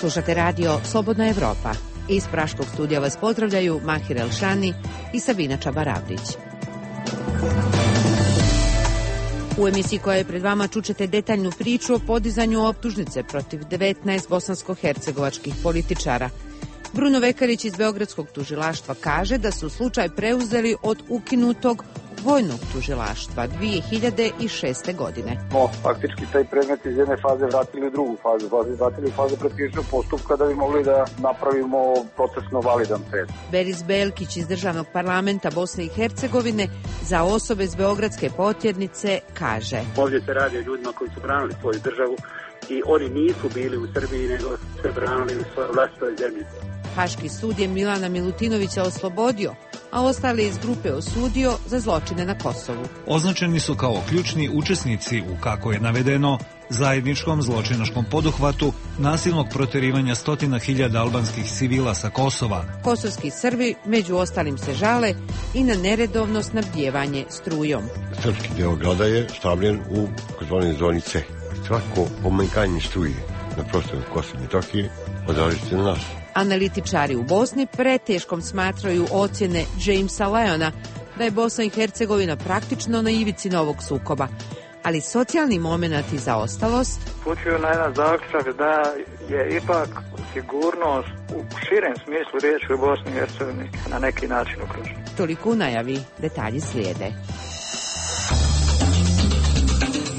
Slušate radio Slobodna Evropa. Iz praškog studija vas pozdravljaju Mahir Elšani i Sabina Čabaravdić. U emisiji koja je pred vama čućete detaljnu priču o podizanju optužnice protiv 19 bosansko-hercegovačkih političara. Bruno Vekarić iz Beogradskog tužilaštva kaže da su slučaj preuzeli od ukinutog vojnog tužilaštva 2006. godine. Faktički taj predmet iz jedne faze vratili u drugu fazu. Vratili u fazu predkrivičnog postupka da bi mogli da napravimo procesno validan predmet. Beris Belkić iz Državnog parlamenta Bosne i Hercegovine za osobe s Beogradske potjernice kaže: Ovdje se radi o ljudima koji su branili svoju državu i oni nisu bili u Srbiji, nego se branili u svojoj vlastitoj zemlji. Haški sud je Milana Milutinovića oslobodio, a ostale iz grupe osudio za zločine na Kosovu. Označeni su kao ključni učesnici u, kako je navedeno, zajedničkom zločinačkom poduhvatu nasilnog proterivanja 100.000 albanskih civila sa Kosova. Kosovski Srbi među ostalim se žale i na neredovno snabdijevanje strujom. Srpski deo grada je stavljen u takozvanoj zoni C. Svako pomanjkanje struje na prostoru Kosova i Metohije odražava se na nas. Analitičari u Bosni preteškom smatraju ocjene Jamesa Leona da je Bosna i Hercegovina praktično na ivici novog sukoba, ali socijalni moment i zaostalost upućuju na jedan zaključak da je ipak sigurnost u širem smislu riječi u Bosni i Hercegovini na neki način ugrožena. Toliko u najavi, detalji slijede.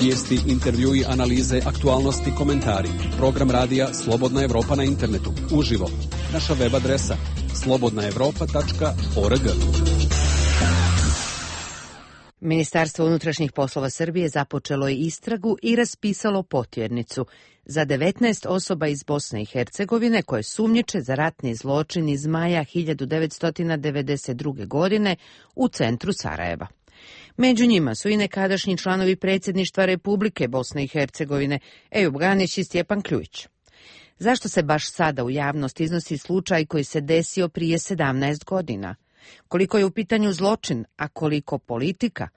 Vijesti, intervjui, analize, aktualnosti, komentari. Program radija Slobodna Evropa na internetu. Uživo. Naša web adresa slobodnaevropa.org. Ministarstvo unutrašnjih poslova Srbije započelo je istragu i raspisalo potjernicu za 19 osoba iz Bosne i Hercegovine koje sumnjiče za ratni zločin iz maja 1992. godine u centru Sarajeva. Među njima su i nekadašnji članovi predsjedništva Republike Bosne i Hercegovine Ejub Ganić i Stjepan Kljujić. Zašto se baš sada u javnost iznosi slučaj koji se desio prije 17 godina? Koliko je u pitanju zločin, a koliko politika?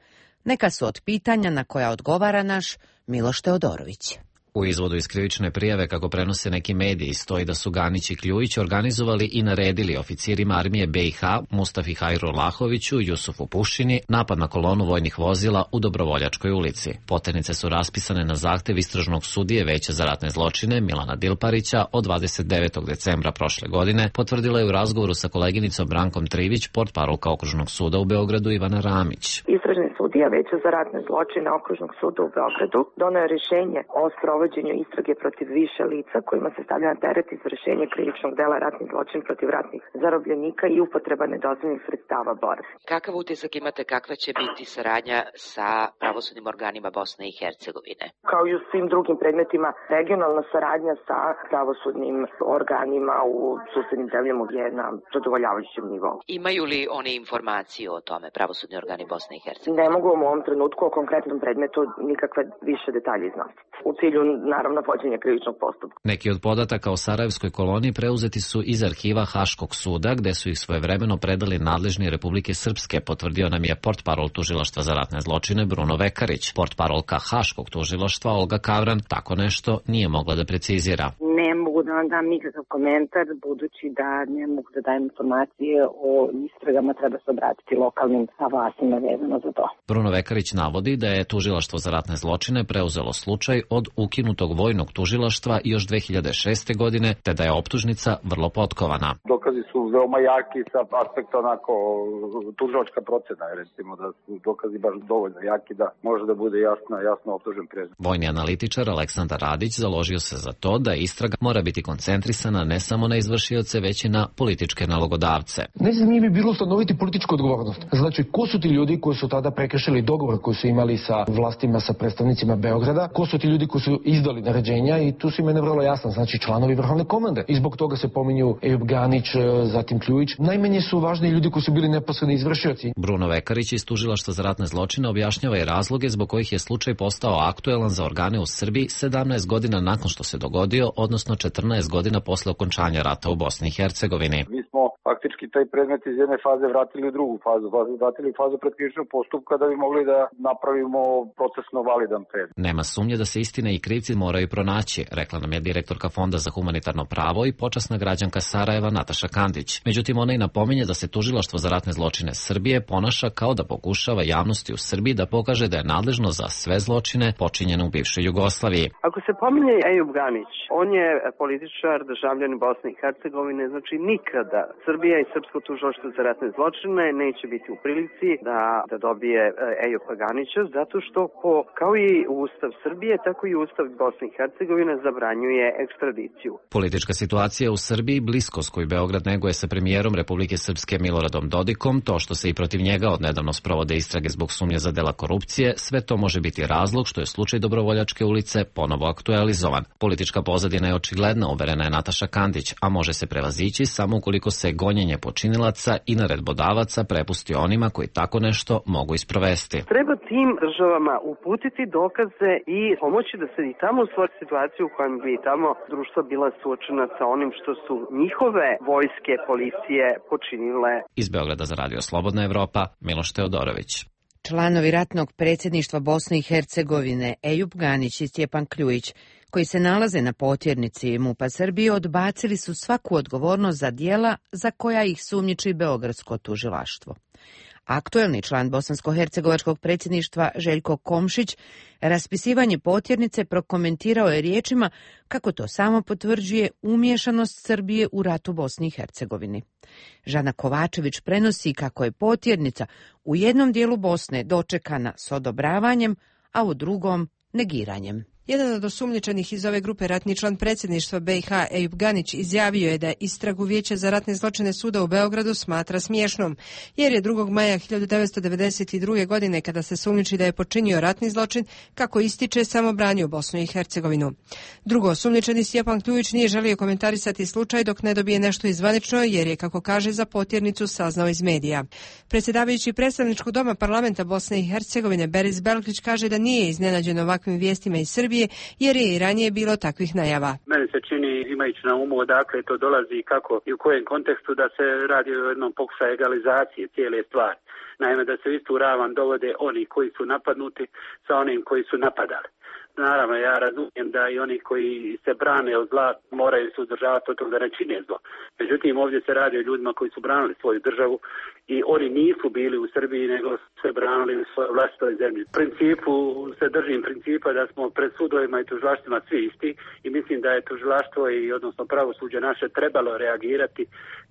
Neka su od pitanja na koja odgovara naš Miloš Teodorović. U izvodu iz krivične prijave, kako prenose neki mediji, stoji da su Ganić i Kljujić organizovali i naredili oficirima armije BiH Mustafi Hajru Lahoviću, Jusufu Pušini, napad na kolonu vojnih vozila u Dobrovoljačkoj ulici. Potjernice su raspisane na zahtev istražnog sudije Veća za ratne zločine Milana Dilparića od 29. decembra prošle godine, potvrdila je u razgovoru sa koleginicom Brankom Trivić, portparolka Okružnog suda u Beogradu Ivana Ramić. Istražni sudija Veća za ratne zločine Okružnog suda u Beogradu doneo je rješenje o sprovođenju istrage protiv više lica kojima se stavlja na teret izvršenje krivičnog dela ratni zločin protiv ratnih zarobljenika i upotreba nedozvoljenih sredstava borbe. Kakav utisak imate, kakva će biti saradnja sa pravosudnim organima Bosne i Hercegovine? Kao i u svim drugim predmetima, regionalna saradnja sa pravosudnim organima u susednim zemljama je na zadovoljavajućem nivou. Imaju li oni informaciju o tome, pravosudni organi Bosne i Hercegovine? Ne mogu u ovom trenutku o konkretnom predmetu nikakve više detalje iznositi. U cilju naravno vođenja krivičnog postupka. Neki od podataka o Sarajevskoj koloniji preuzeti su iz arhiva Haškog suda, gde su ih svojevremeno predali nadležni Republike Srpske, potvrdio nam je portparol Tužilaštva za ratne zločine Bruno Vekarić. Portparolka Haškog tužilaštva Olga Kavran tako nešto nije mogla da precizira. Ne mogu da vam dam nikakav komentar, budući da ne mogu da dajem informacije o istragama, treba se obratiti lokalnim vlastima vezano za to. Bruno Vekarić navodi da je Tužilaštvo za ratne zločine preuzelo slučaj od ukinutog vojnog tužilaštva još 2006. godine, te da je optužnica vrlo potkovana. Dokazi su veoma jaki sa aspekta onako tužilačka procena, recimo da su dokazi baš dovoljno jaki da može da bude jasno optužen predmet. Vojni analitičar Aleksandar Radić založio se za to da istraga mora biti koncentrisana ne samo na izvršioce, već i na političke nalogodavce. Najzanimljivije bi bilo ustanoviti političku odgovornost. Znači, ko su ti ljudi koji su tada prekršili dogovor koji su imali sa vlastima, sa predstavnicima Beograda, ko su ti ljudi koji su izdali naređenja i tu su imene vrlo jasno, znači članovi vrhovne komande. I zbog toga se pominju Ejub Ganić, zatim Kljujić. Najmanje su važni ljudi koji su bili neposredni izvršioci. Bruno Vekarić iz Tužilaštva za ratne zločine objašnjava i razloge zbog kojih je slučaj postao aktuelan za organe u Srbiji 17 godina nakon što se dogodio, odnosno 14 godina posle okončanja rata u Bosni i Hercegovini. Mi smo faktički taj predmet iz jedne faze vratili u drugu fazu, vratili u fazu predkrivičnog postupka da bi mogli da napravimo procesno validan predmet. Nema sumnje da se istina i krivci moraju pronaći, rekla nam je direktorka Fonda za humanitarno pravo i počasna građanka Sarajeva Nataša Kandić. Međutim, ona i napominje da se Tužilaštvo za ratne zločine Srbije ponaša kao da pokušava javnosti u Srbiji da pokaže da je nadležno za sve zločine počinjene u bivšoj Jugoslaviji. Ako se pominje Ejub Ganić, on je političar, državljanin Bosne i Hercegovine, znači nikada Srbija i Srpsko tužilaštvo za ratne zločine neće biti u prilici da dobije Ejuba Ganića, zato što kao i Ustav Srbije, tako i Ustav Bosne i Hercegovine zabranjuje ekstradiciju. Politička situacija u Srbiji, bliskost koju Beograd neguje sa premijerom Republike Srpske Miloradom Dodikom, to što se i protiv njega odnedavno sprovode istrage zbog sumnje za dela korupcije, sve to može biti razlog što je slučaj Dobrovoljačke ulice ponovo aktualizovan. Politička pozadina je očigledna, uverena je Nataša Kandić, a može se prevazići samo ukoliko se gonjenje počinilaca i naredbodavaca prepusti onima koji tako nešto mogu isprovesti. Treba tim državama uputiti dokaze i pomoći da se i tamo stvori situaciju u kojem bi tamo društvo bila suočena sa onim što su njihove vojske, policije počinile. Iz Beograda za Radio Slobodna Evropa, Miloš Teodorović. Članovi ratnog predsjedništva Bosne i Hercegovine Ejub Ganić i Stjepan Kljujić, koji se nalaze na potjernici MUP-a Srbije, odbacili su svaku odgovornost za djela za koja ih sumnjiči Beogradsko tužilaštvo. Aktuelni član bosansko-hercegovačkog predsjedništva Željko Komšić raspisivanje potjernice prokomentirao je riječima kako to samo potvrđuje umiješanost Srbije u rat u Bosni i Hercegovini. Žana Kovačević prenosi kako je potjernica u jednom dijelu Bosne dočekana s odobravanjem, a u drugom negiranjem. Jedan od osumnjičenih iz ove grupe, ratni član predsjedništva BiH Ejub Ganić, izjavio je da istragu Vijeća za ratne zločine suda u Beogradu smatra smiješnom, jer je 2. maja 1992. godine, kada se sumnjiči da je počinio ratni zločin, kako ističe, samo branio Bosnu i Hercegovinu. Drugo, osumnjičeni Stjepan Kljujić nije želio komentarisati slučaj dok ne dobije nešto izvanično, jer je, kako kaže, za potjernicu saznao iz medija. Predsjedavajući predstavničkog doma parlamenta Bosne i Hercegovine Beris Belkić kaže da nije iznenađen ovakvim vijestima iz Srbije, jer je i ranije bilo takvih najava. Meni se čini, imajući na umu odakle to dolazi i kako i u kojem kontekstu, da se radi o jednom pokušaju egalizacije cijele stvari. Naime, da se istu ravan dovode oni koji su napadnuti sa onim koji su napadali. Naravno, ja razumijem da i oni koji se brane od zla moraju se uzdržavati od toga da ne čine zlo. Međutim, ovdje se radi o ljudima koji su branili svoju državu i oni nisu bili u Srbiji, nego se branili u svojoj vlastitoj zemlji. U principu se držim principa da smo pred sudovima i tužilaštvima svi isti i mislim da je tužilaštvo i odnosno pravosuđe naše trebalo reagirati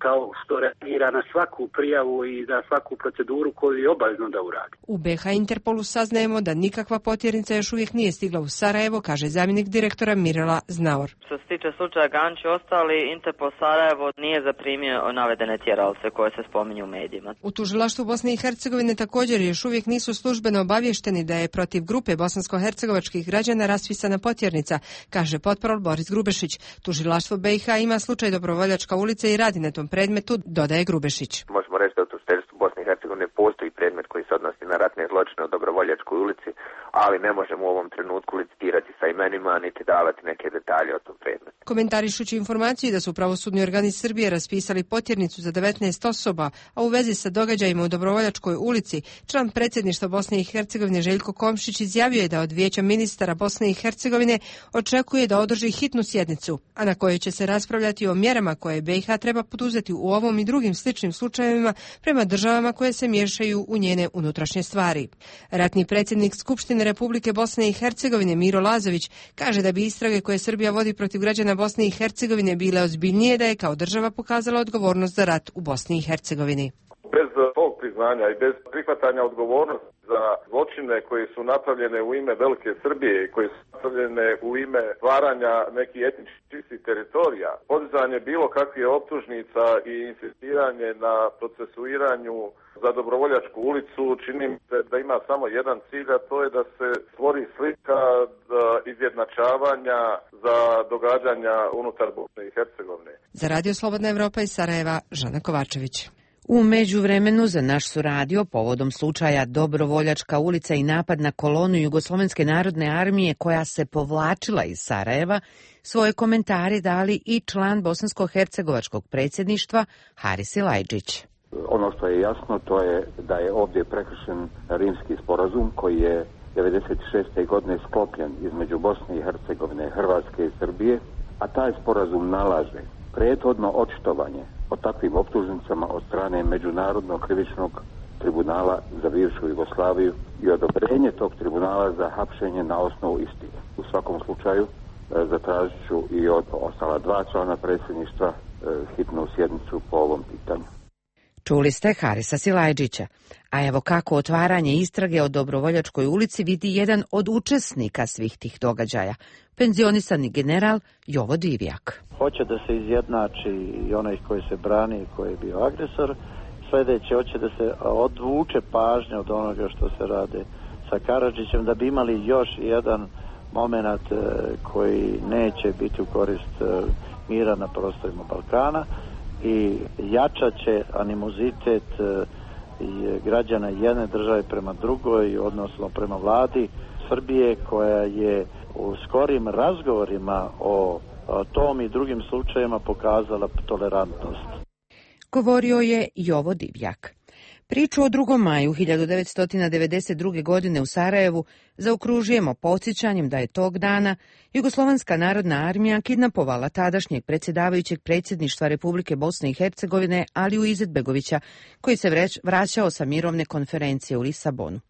kao što reagira na svaku prijavu i na svaku proceduru koju je obavezno da uradi. U BiH Interpolu saznajemo da nikakva potjernica još uvijek nije stigla u Sarajevo, kaže zamjenik direktora Mirela Znaor. Što se tiče slučaja Ganić i ostali, Interpol Sarajevo nije zaprimio navedene tjeralce koje se spominju u medijima. U tužilaštvu Bosne i Hercegovine također još uvijek nisu službeno obavješteni da je protiv grupe bosansko-hercegovačkih građana raspisana potjernica, kaže potporol Boris Grubešić. Tužilaštvo BiH ima slučaj Dobrovoljačka ulica i radi na tom predmetu, dodaje Grubešić. Možemo reći da u tužilaštvu Bosne i Hercegovine postoji predmet koji se odnosi na ratne zločine u Dobrovoljačkoj ulici, ali ne možemo u ovom trenutku licitirati sa imenima niti davati neke detalje o tom predmetu. Komentarišući informaciju da su pravosudni organi Srbije raspisali potjernicu za 19 osoba, a u vezi sa događajima u Dobrovoljačkoj ulici, član predsjedništva Bosne i Hercegovine Željko Komšić izjavio je da od Vijeća ministara Bosne i Hercegovine očekuje da održi hitnu sjednicu, a na kojoj će se raspravljati o mjerama koje BiH treba poduzeti u ovom i drugim sličnim slučajevima prema državama koje se miješaju u njene unutrašnje stvari. Ratni predsjednik Skupštine Republike Bosne i Hercegovine Miro Lazović kaže da bi istrage koje Srbija vodi protiv građana Bosne i Hercegovine bile ozbiljnije da je kao država pokazala odgovornost za rat u Bosni i Hercegovini. Bez tog priznanja i bez prihvatanja odgovornosti za zločine koji su napravljene u ime Velike Srbije i koji su napravljene u ime stvaranja nekih etničkih čistih teritorija, podizanje bilo kakvih optužnica i insistiranje na procesuiranju za Dobrovoljačku ulicu čini mi se da ima samo jedan cilj, a to je da se stvori slika izjednačavanja za događanja unutar Bosne i Hercegovine. Za Radio Slobodna Evropa iz Sarajeva, Žana Kovačević. U međuvremenu za naš su radio povodom slučaja Dobrovoljačka ulica i napad na kolonu Jugoslovenske narodne armije koja se povlačila iz Sarajeva, svoje komentare dali i član bosansko-hercegovačkog predsjedništva Haris Silajdžić. Ono što je jasno to je da je ovdje prekršen Rimski sporazum koji je 1996. godine sklopljen između Bosne i Hercegovine, Hrvatske i Srbije, a taj sporazum nalaže prethodno očitovanje o takvim optužnicama od strane Međunarodnog krivičnog tribunala za bivšu Jugoslaviju i odobrenje tog tribunala za hapšenje na osnovu istine. U svakom slučaju zatražit ću i od ostala dva člana predsjedništva hitnu sjednicu po ovom pitanju. Čuli ste Harisa Silajdžića, a evo kako otvaranje istrage o Dobrovoljačkoj ulici vidi jedan od učesnika svih tih događaja, penzionisani general Jovo Divjak. Hoće da se izjednači i onaj koji se brani i koji je bio agresor. Sljedeće, hoće da se odvuče pažnja od onoga što se rade sa Karadžićem, da bi imali još jedan moment koji neće biti u korist mira na prostorima Balkana i jačat će animozitet građana jedne države prema drugoj, odnosno prema vladi Srbije koja je u skorim razgovorima o tom i drugim slučajevima pokazala tolerantnost. Govorio je Jovo Divjak. Priču o 2. maju 1992. godine u Sarajevu zaokružujemo podsjećanjem da je tog dana Jugoslovenska narodna armija kidnapovala tadašnjeg predsjedavajućeg predsjedništva Republike Bosne i Hercegovine Aliju Izetbegovića, koji se vraćao sa mirovne konferencije u Lisabonu.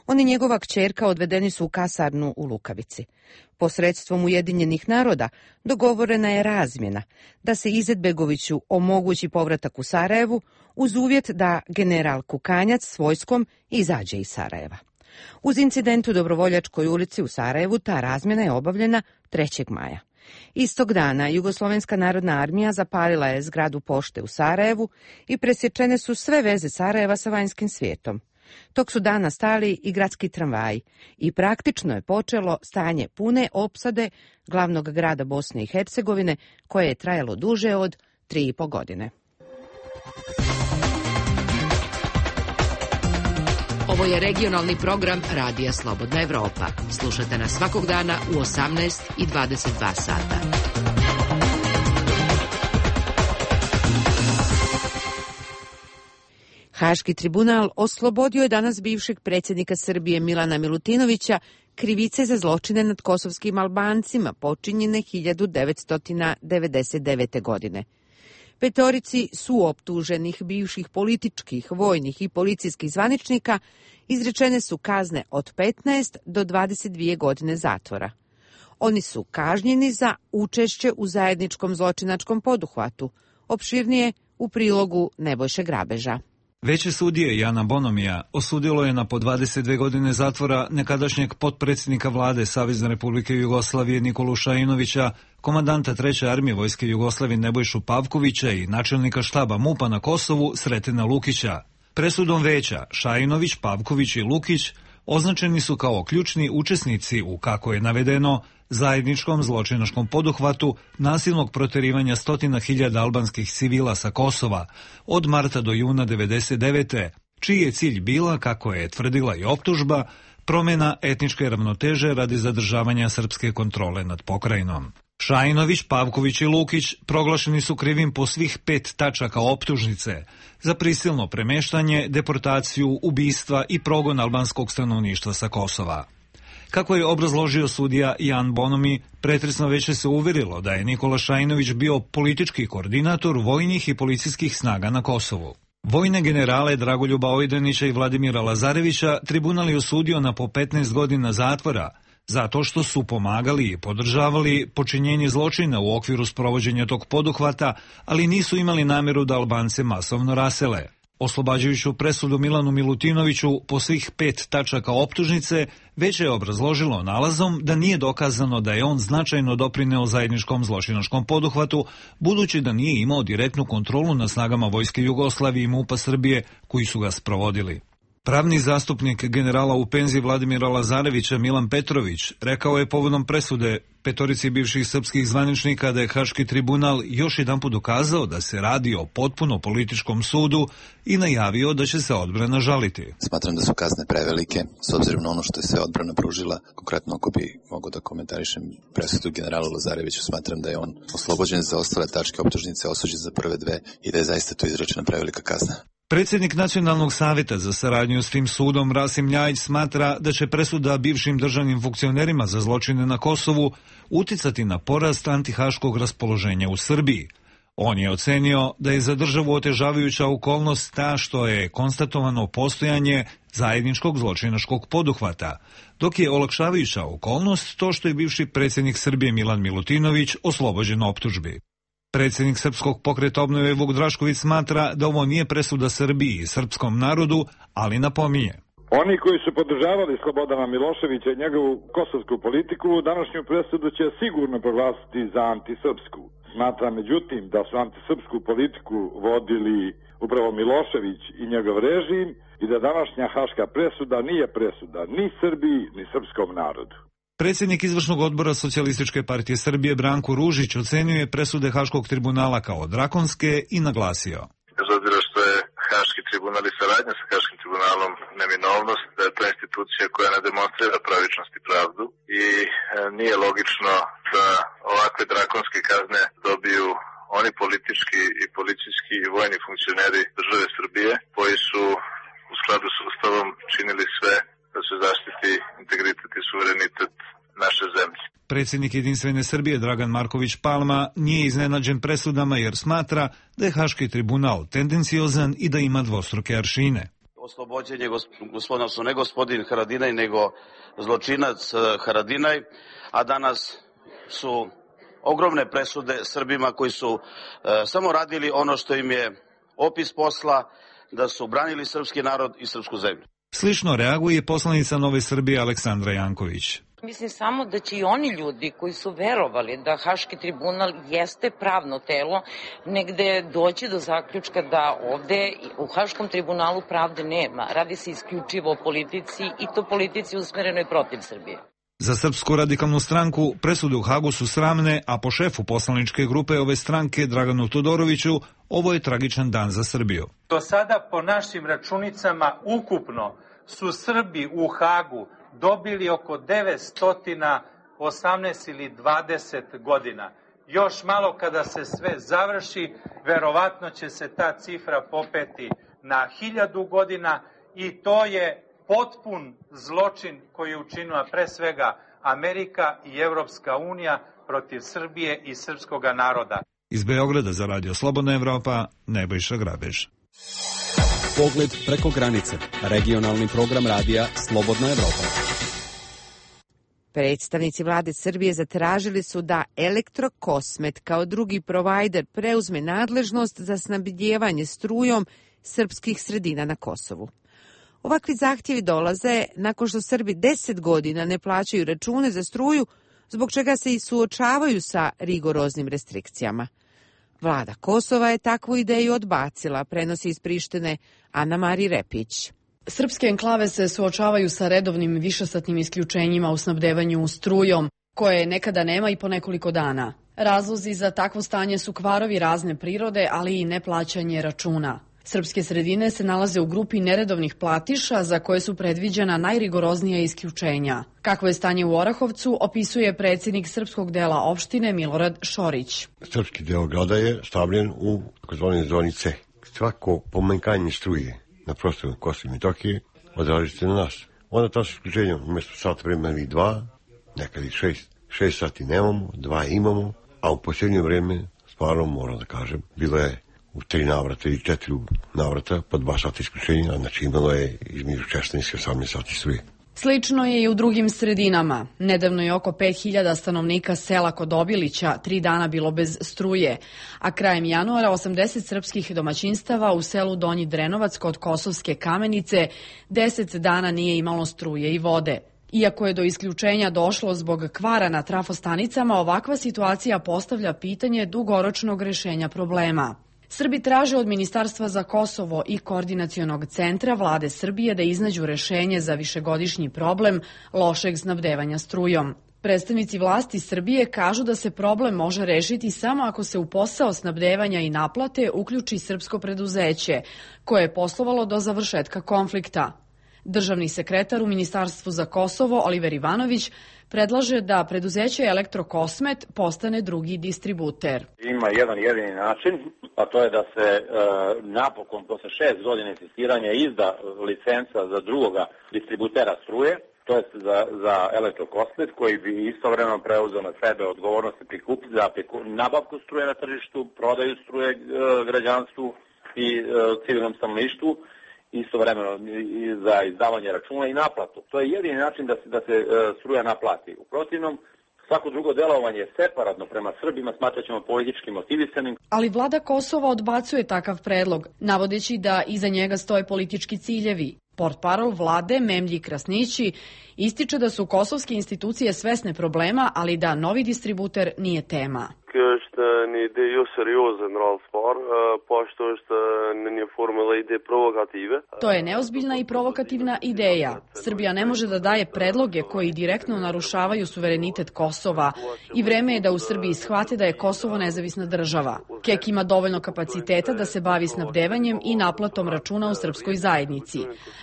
On i njegova kćerka odvedeni su u kasarnu u Lukavici. Posredstvom Ujedinjenih naroda dogovorena je razmjena da se Izetbegoviću omogući povratak u Sarajevu uz uvjet da general Kukanjac s vojskom izađe iz Sarajeva. Uz incident u Dobrovoljačkoj ulici u Sarajevu ta razmjena je obavljena 3. maja. Istog dana Jugoslovenska narodna armija zapalila je zgradu pošte u Sarajevu i presječene su sve veze Sarajeva sa vanjskim svijetom. Tog su dana stali i gradski tramvaji i praktično je počelo stanje pune opsade glavnog grada Bosne i Hercegovine koje je trajalo duže od 3,5 godine. Ovo je regionalni program Radija Slobodna Evropa. Slušajte nas svakog dana u 18 i 22 sata. Haški tribunal oslobodio je danas bivšeg predsjednika Srbije Milana Milutinovića krivice za zločine nad kosovskim Albancima počinjene 1999. godine. 5 su optuženih bivših političkih, vojnih i policijskih zvaničnika izrečene su kazne od 15 do 22 godine zatvora. Oni su kažnjeni za učešće u zajedničkom zločinačkom poduhvatu, opširnije u prilogu Nebojše Grabeža. Veće sudije Jana Bonomija osudilo je na po 22 godine zatvora nekadašnjeg potpredsjednika vlade Savezne Republike Jugoslavije Nikolu Šajinovića, komandanta 3. armije Vojske Jugoslavije Nebojšu Pavkovića i načelnika štaba MUP-a na Kosovu Sretina Lukića. Presudom veća Šajinović, Pavković i Lukić označeni su kao ključni učesnici u, kako je navedeno, zajedničkom zločinačkom poduhvatu nasilnog proterivanja 100.000 albanskih civila sa Kosova od marta do juna 1999. čiji je cilj bila, kako je tvrdila i optužba, promjena etničke ravnoteže radi zadržavanja srpske kontrole nad pokrajinom. Šajinović, Pavković i Lukić proglašeni su krivim po svih 5 tačaka optužnice za prisilno premeštanje, deportaciju, ubistva i progon albanskog stanovništva sa Kosova. Kako je obrazložio sudija Jan Bonomi, pretresno veće se uverilo da je Nikola Šajinović bio politički koordinator vojnih i policijskih snaga na Kosovu. Vojne generale Dragoljuba Ojdanića i Vladimira Lazarevića tribunal je osudio na po 15 godina zatvora zato što su pomagali i podržavali počinjenje zločina u okviru sprovođenja tog poduhvata, ali nisu imali namjeru da Albance masovno rasele. Oslobađajuću presudu Milanu Milutinoviću po svih 5 tačaka optužnice, već je obrazložilo nalazom da nije dokazano da je on značajno doprineo zajedničkom zločinačkom poduhvatu, budući da nije imao direktnu kontrolu nad snagama Vojske Jugoslavije i MUP-a Srbije koji su ga sprovodili. Pravni zastupnik generala u penziji Vladimira Lazarevića Milan Petrović rekao je povodom presude petorici bivših srpskih zvaničnika da je Haški tribunal još jedanput dokazao da se radi o potpuno političkom sudu i najavio da će se odbrana žaliti. Smatram da su kazne prevelike, s obzirom na ono što je sve odbrana pružila. Konkretno, ako bi mogo da komentarišem presudu generalu Lazareviću, smatram da je on oslobođen za ostale tačke optužnice, osuđen za prve dve i da je zaista to izrečena prevelika kazna. Predsjednik Nacionalnog savjeta za saradnju s tim sudom Rasim Ljajić smatra da će presuda bivšim državnim funkcionerima za zločine na Kosovu uticati na porast antihaškog raspoloženja u Srbiji. On je ocenio da je za državu otežavajuća okolnost ta što je konstatovano postojanje zajedničkog zločinačkog poduhvata, dok je olakšavajuća okolnost to što je bivši predsjednik Srbije Milan Milutinović oslobođen optužbi. Predsjednik Srpskog pokreta obnove Vuk Drašković smatra da ovo nije presuda Srbiji i srpskom narodu, ali napominje. Oni koji su podržavali Slobodana Miloševića i njegovu kosovsku politiku, današnju presudu će sigurno proglasiti za antisrpsku. Smatra međutim da su antisrpsku politiku vodili upravo Milošević i njegov režim i da današnja haška presuda nije presuda ni Srbiji ni srpskom narodu. Predsjednik izvršnog odbora Socijalističke partije Srbije Branko Ružić ocenio je presude Haškog tribunala kao drakonske i naglasio. Bez obzira što je Haški tribunal i saradnja sa Haškim tribunalom neminovnost, da je to institucija koja ne demonstrira pravičnost i pravdu i nije logično da ovakve drakonske kazne dobiju oni politički i policijski i vojni funkcioneri države Srbije koji su u skladu s Ustavom činili sve da se zaštiti integritet i suverenitet naše zemlje. Predsjednik Jedinstvene Srbije Dragan Marković Palma nije iznenađen presudama jer smatra da je Haški tribunal tendenciozan i da ima dvostruke aršine. Oslobođenje gospodina, ne gospodin Haradinaj, nego zločinac Haradinaj, a danas su ogromne presude Srbima koji su samo radili ono što im je opis posla, da su branili srpski narod i srpsku zemlju. Slično reaguje poslanica Nove Srbije Aleksandra Janković. Mislim samo da će i oni ljudi koji su verovali da Haški tribunal jeste pravno telo, negde doći do zaključka da ovde u Haškom tribunalu pravde nema. Radi se isključivo o politici i to politici usmerenoj protiv Srbije. Za Srpsku radikalnu stranku presude u Hagu su sramne, a po šefu poslaničke grupe ove stranke Draganu Todoroviću ovo je tragičan dan za Srbiju. Do sada po našim računicama ukupno su Srbi u Hagu dobili oko 918 ili 20 godina. Još malo kada se sve završi, verovatno će se ta cifra popeti na 1000 godina i to je potpun zločin koji je učinila pre svega Amerika i Evropska unija protiv Srbije i srpskog naroda. Iz Beograda za Radio Slobodna Evropa, Nebojša Grabež. Pogled preko granice. Regionalni program radija Slobodna Evropa. Predstavnici vlade Srbije zatražili su da Elektrokosmet kao drugi provajder preuzme nadležnost za snabdijevanje strujom srpskih sredina na Kosovu. Ovakvi zahtjevi dolaze nakon što Srbi 10 godina ne plaćaju račune za struju, zbog čega se i suočavaju sa rigoroznim restrikcijama. Vlada Kosova je takvu ideju odbacila, prenosi iz Prištine Ana Mari Repić. Srpske enklave se suočavaju sa redovnim višesatnim isključenjima u snabdevanju strujom, koje nekada nema i po nekoliko dana. Razlozi za takvo stanje su kvarovi razne prirode, ali i neplaćanje računa. Srpske sredine se nalaze u grupi neredovnih platiša za koje su predviđena najrigoroznija isključenja. Kakvo je stanje u Orahovcu, opisuje predsjednik srpskog dela opštine Milorad Šorić. Srpski deo grada je stavljen u takozvanoj zoni C. Svako pomenkanje struje na prostoru Kosova i Metohije odražite se na nas. Onda to su isključenja umjesto sat vremena ili 2, nekad i 6 sati nemamo, 2 imamo, a u posljednje vreme, stvarno moram da kažem, bilo je u 3 navrata ili 4 navrata po 2 sata isključenja, znači imalo je između 16 i 18 sati struje. Slično je i u drugim sredinama. Nedavno je oko 5000 stanovnika sela kod Obilića 3 dana bilo bez struje, a krajem januara 80 srpskih domaćinstava u selu Donji Drenovac kod Kosovske Kamenice 10 dana nije imalo struje i vode. Iako je do isključenja došlo zbog kvara na trafostanicama, ovakva situacija postavlja pitanje dugoročnog rešenja problema. Srbi traže od Ministarstva za Kosovo i Koordinacionog centra Vlade Srbije da iznađu rešenje za višegodišnji problem lošeg snabdevanja strujom. Predstavnici vlasti Srbije kažu da se problem može rešiti samo ako se u posao snabdevanja i naplate uključi srpsko preduzeće, koje je poslovalo do završetka konflikta. Državni sekretar u Ministarstvu za Kosovo, Oliver Ivanović, predlaže da preduzeće Elektrokosmet postane drugi distributer. Ima jedan jedini način, a to je da se napokon posle 6 godina insistiranja izda licenca za drugoga distributera struje, to je za Elektrokosmet, koji bi istovremeno preuzeo na sebe odgovornost za nabavku struje na tržištu, prodaju struje građanstvu i civilnom stanovništvu, istovremeno za izdavanje računa i naplatu. To je jedini način da se struja naplati. U protivnom, svako drugo delovanje separatno prema Srbima smatraćemo politički motivisanim. Ali vlada Kosova odbacuje takav predlog, navodeći da iza njega stoje politički ciljevi. Portparol vlade Memlji Krasnići ističe da su kosovske institucije svesne problema, ali da novi distributer nije tema. To je neozbiljna i provokativna ideja. Srbija ne može da daje predloge koji direktno narušavaju suverenitet Kosova i vreme je da u Srbiji shvate da je Kosovo nezavisna država. KEK ima dovoljno kapaciteta da se bavi snabdevanjem i naplatom računa u srpskoj zajednici,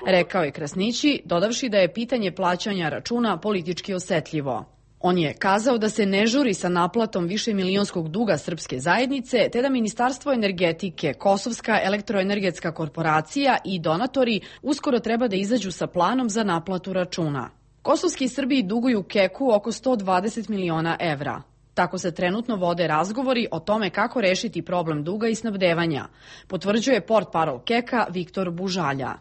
rekao je Krasnići, dodavši da je pitanje plaćanja računa politički osetljivo. On je kazao da se ne žuri sa naplatom višemilionskog duga srpske zajednice, te da Ministarstvo energetike, Kosovska elektroenergetska korporacija i donatori uskoro treba da izađu sa planom za naplatu računa. Kosovski Srbiji duguju KEK-u oko 120 miliona evra. Tako se trenutno vode razgovori o tome kako rešiti problem duga i snabdevanja, potvrđuje portparol KEK-a Viktor Bužalja.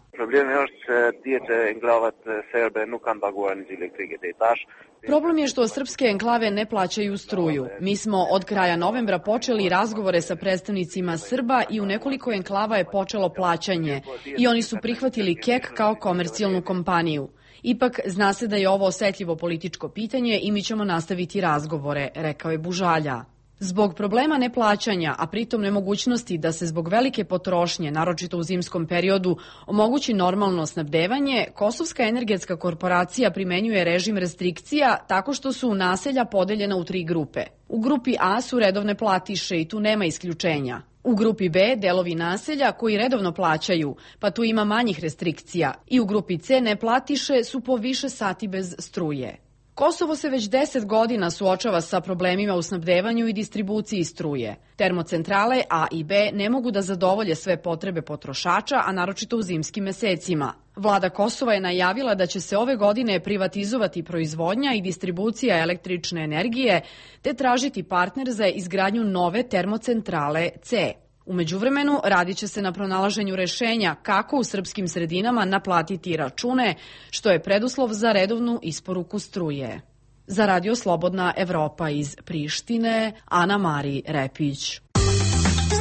Problem je što srpske enklave ne plaćaju struju. Mi smo od kraja novembra počeli razgovore sa predstavnicima Srba i u nekoliko enklava je počelo plaćanje i oni su prihvatili KEK kao komercijalnu kompaniju. Ipak, zna se da je ovo osetljivo političko pitanje i mi ćemo nastaviti razgovore, rekao je Bužalja. Zbog problema neplaćanja, a pritom nemogućnosti da se zbog velike potrošnje, naročito u zimskom periodu, omogući normalno snabdevanje, Kosovska energetska korporacija primenjuje režim restrikcija tako što su naselja podeljena u 3 grupe. U grupi A su redovne platiše i tu nema isključenja. U grupi B delovi naselja koji redovno plaćaju, pa tu ima manjih restrikcija. I u grupi C neplatiše su po više sati bez struje. Kosovo se već 10 godina suočava sa problemima u snabdevanju i distribuciji struje. Termocentrale A i B ne mogu da zadovolje sve potrebe potrošača, a naročito u zimskim mesecima. Vlada Kosova je najavila da će se ove godine privatizovati proizvodnja i distribucija električne energije, te tražiti partner za izgradnju nove termocentrale C. U međuvremenu radit će se na pronalaženju rešenja kako u srpskim sredinama naplatiti račune, što je preduslov za redovnu isporuku struje. Za Radio Slobodna Evropa iz Prištine, Ana Mari Repić.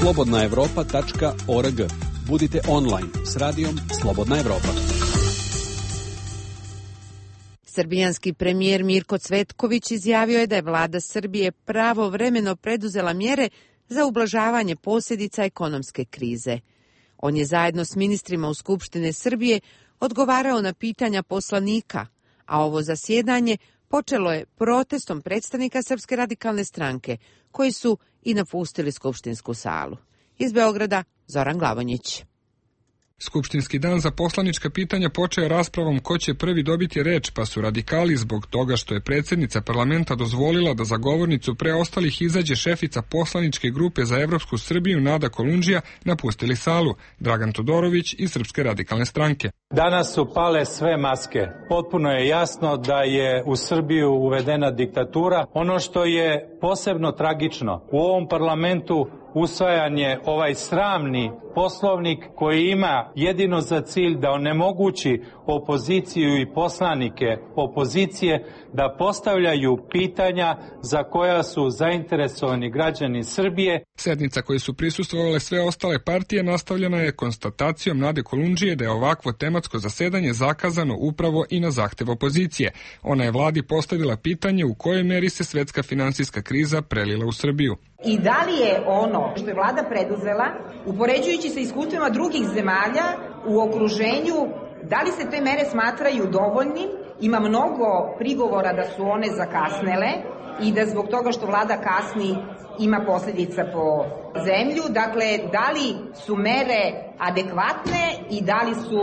slobodnaevropa.org. Budite online s radijom Slobodna Evropa. Srbijanski premijer Mirko Cvetković izjavio je da je vlada Srbije pravovremeno preduzela mjere za ublažavanje posljedica ekonomske krize. On je zajedno s ministrima u Skupštine Srbije odgovarao na pitanja poslanika, a ovo zasjedanje počelo je protestom predstavnika Srpske radikalne stranke, koji su i napustili skupštinsku salu. Iz Beograda, Zoran Glavonjić. Skupštinski dan za poslanička pitanja počeo raspravom ko će prvi dobiti reč, pa su radikali zbog toga što je predsjednica parlamenta dozvolila da za govornicu pre ostalih izađe šefica poslaničke grupe za Evropsku Srbiju Nada Kolundžija napustili salu, Dragan Todorović iz Srpske radikalne stranke. Danas su pale sve maske. Potpuno je jasno da je u Srbiju uvedena diktatura. Ono što je posebno tragično, u ovom parlamentu usvajan je ovaj sramni poslovnik koji ima jedino za cilj da onemogući opoziciju i poslanike opozicije da postavljaju pitanja za koja su zainteresovani građani Srbije. Sednica koje su prisustvovale sve ostale partije nastavljena je konstatacijom Nade Kolundžije da je ovakvo tematsko zasedanje zakazano upravo i na zahtev opozicije. Ona je vladi postavila pitanje u kojoj meri se svetska finansijska kriza prelila u Srbiju. I da li je ono što je vlada preduzela, upoređujući sa iskustvima drugih zemalja u okruženju, da li se te mere smatraju dovoljnim? Ima mnogo prigovora da su one zakasnele i da zbog toga što vlada kasni ima posljedica po zemlju. Dakle, da li su mere adekvatne i da li su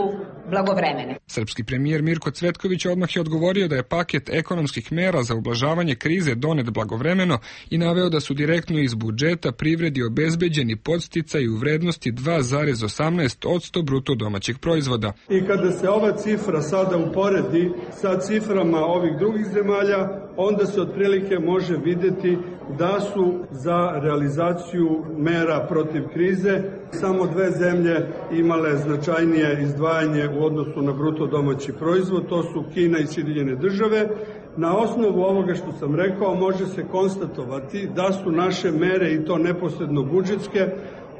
blagovremene? Srpski premijer Mirko Cvetković odmah je odgovorio da je paket ekonomskih mera za ublažavanje krize donet blagovremeno i naveo da su direktno iz budžeta privredi obezbeđeni podsticaji u vrednosti 2,18% bruto domaćeg proizvoda. I kada se ova cifra sada uporedi sa ciframa ovih drugih zemalja, onda se otprilike može vidjeti da su za realizaciju mera protiv krize samo dve zemlje imale značajnije izdvajanje u odnosu na bruto domaći proizvod, to su Kina i Sjedinjene Države. Na osnovu ovoga što sam rekao može se konstatovati da su naše mere, i to neposredno budžetske,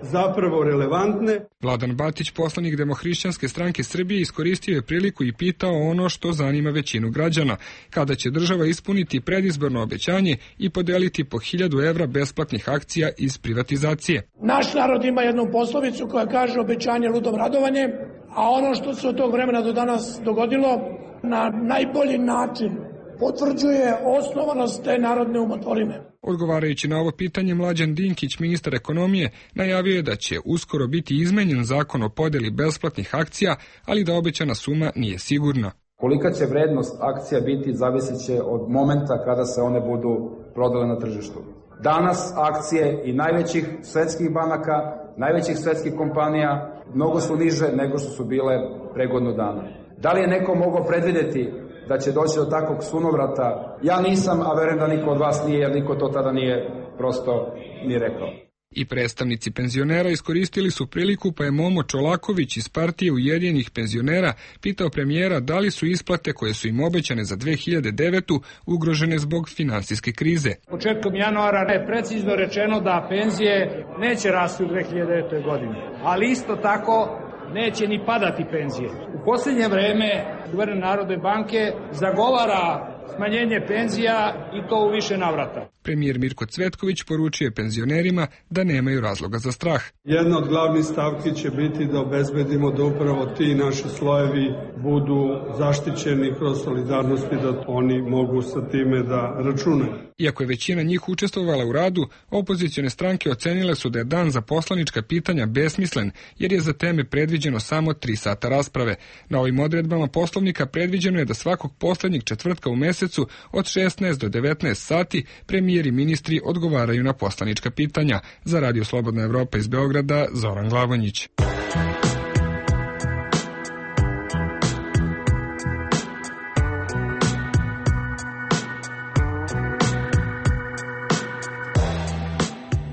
zapravo relevantne. Vladan Batić, poslanik Demohrišćanske stranke Srbije, iskoristio je priliku i pitao ono što zanima većinu građana. Kada će država ispuniti predizborno obećanje i podeliti po 1000 evra besplatnih akcija iz privatizacije? Naš narod ima jednu poslovicu koja kaže obećanje ludom radovanje, a ono što se od tog vremena do danas dogodilo na najbolji način potvrđuje osnovanost te narodne umotvorine. Odgovarajući na ovo pitanje, Mlađan Dinkić, ministar ekonomije, najavio je da će uskoro biti izmenjen zakon o podeli besplatnih akcija, ali da obećana suma nije sigurna. Kolika će vrednost akcija biti zavisit će od momenta kada se one budu prodale na tržištu. Danas akcije i najvećih svetskih banaka, najvećih svetskih kompanija mnogo su niže nego što su bile pre godinu dana. Da li je neko mogao predvidjeti da će doći do takvog sunovrata? Ja nisam, a verujem da niko od vas nije, jer niko to tada nije prosto ni rekao. I predstavnici penzionera iskoristili su priliku, pa je Momo Čolaković iz partije Ujedinjenih penzionera pitao premijera da li su isplate koje su im obećane za 2009. ugrožene zbog finansijske krize. Početkom januara je precizno rečeno da penzije neće rasti u 2009. godini, ali isto tako neće ni padati penzije. U posljednje vreme guverner Narodne banke zagovara smanjenje penzija i to u više navrata. Premijer Mirko Cvetković poručio penzionerima da nemaju razloga za strah. Jedna od glavnih stavki će biti da obezbedimo da upravo ti naši slojevi budu zaštićeni kroz solidarnost i da oni mogu sa time da računaju. Iako je većina njih učestvovala u radu, opozicione stranke ocenile su da je dan za poslanička pitanja besmislen, jer je za teme predviđeno samo 3 sata rasprave. Na ovim odredbama Poslovnika predviđeno je da svakog poslednjeg četvrtka u mesecu od 16 do 19 sati premijer i ministri odgovaraju na poslanička pitanja. Za Radio Slobodna Evropa iz Beograda, Zoran Glavonjić.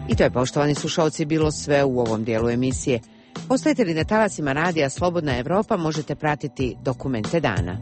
I to je, poštovani slušalci, bilo sve u ovom dijelu emisije. Ostajete li na talasima Radija Slobodna Evropa, možete pratiti Dokumente dana.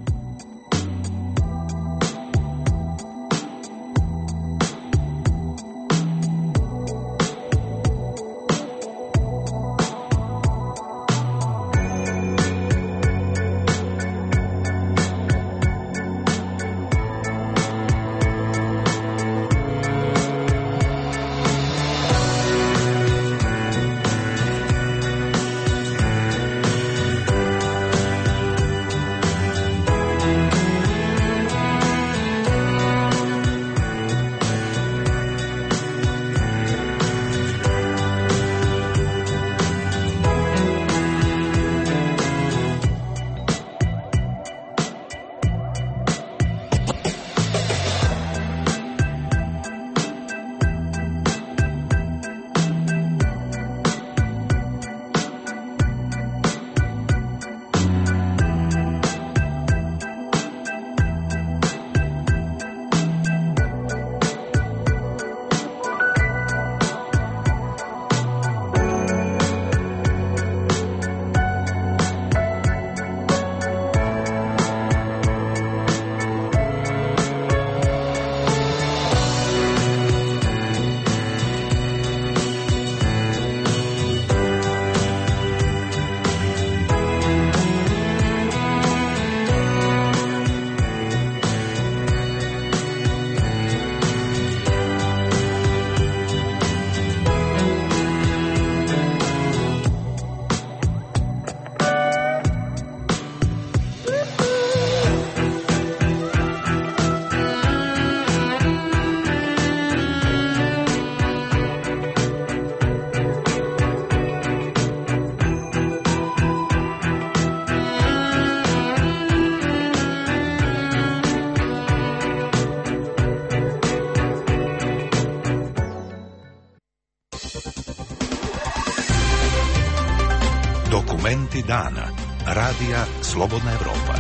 Dokumenti dana. Radija Slobodna Evropa.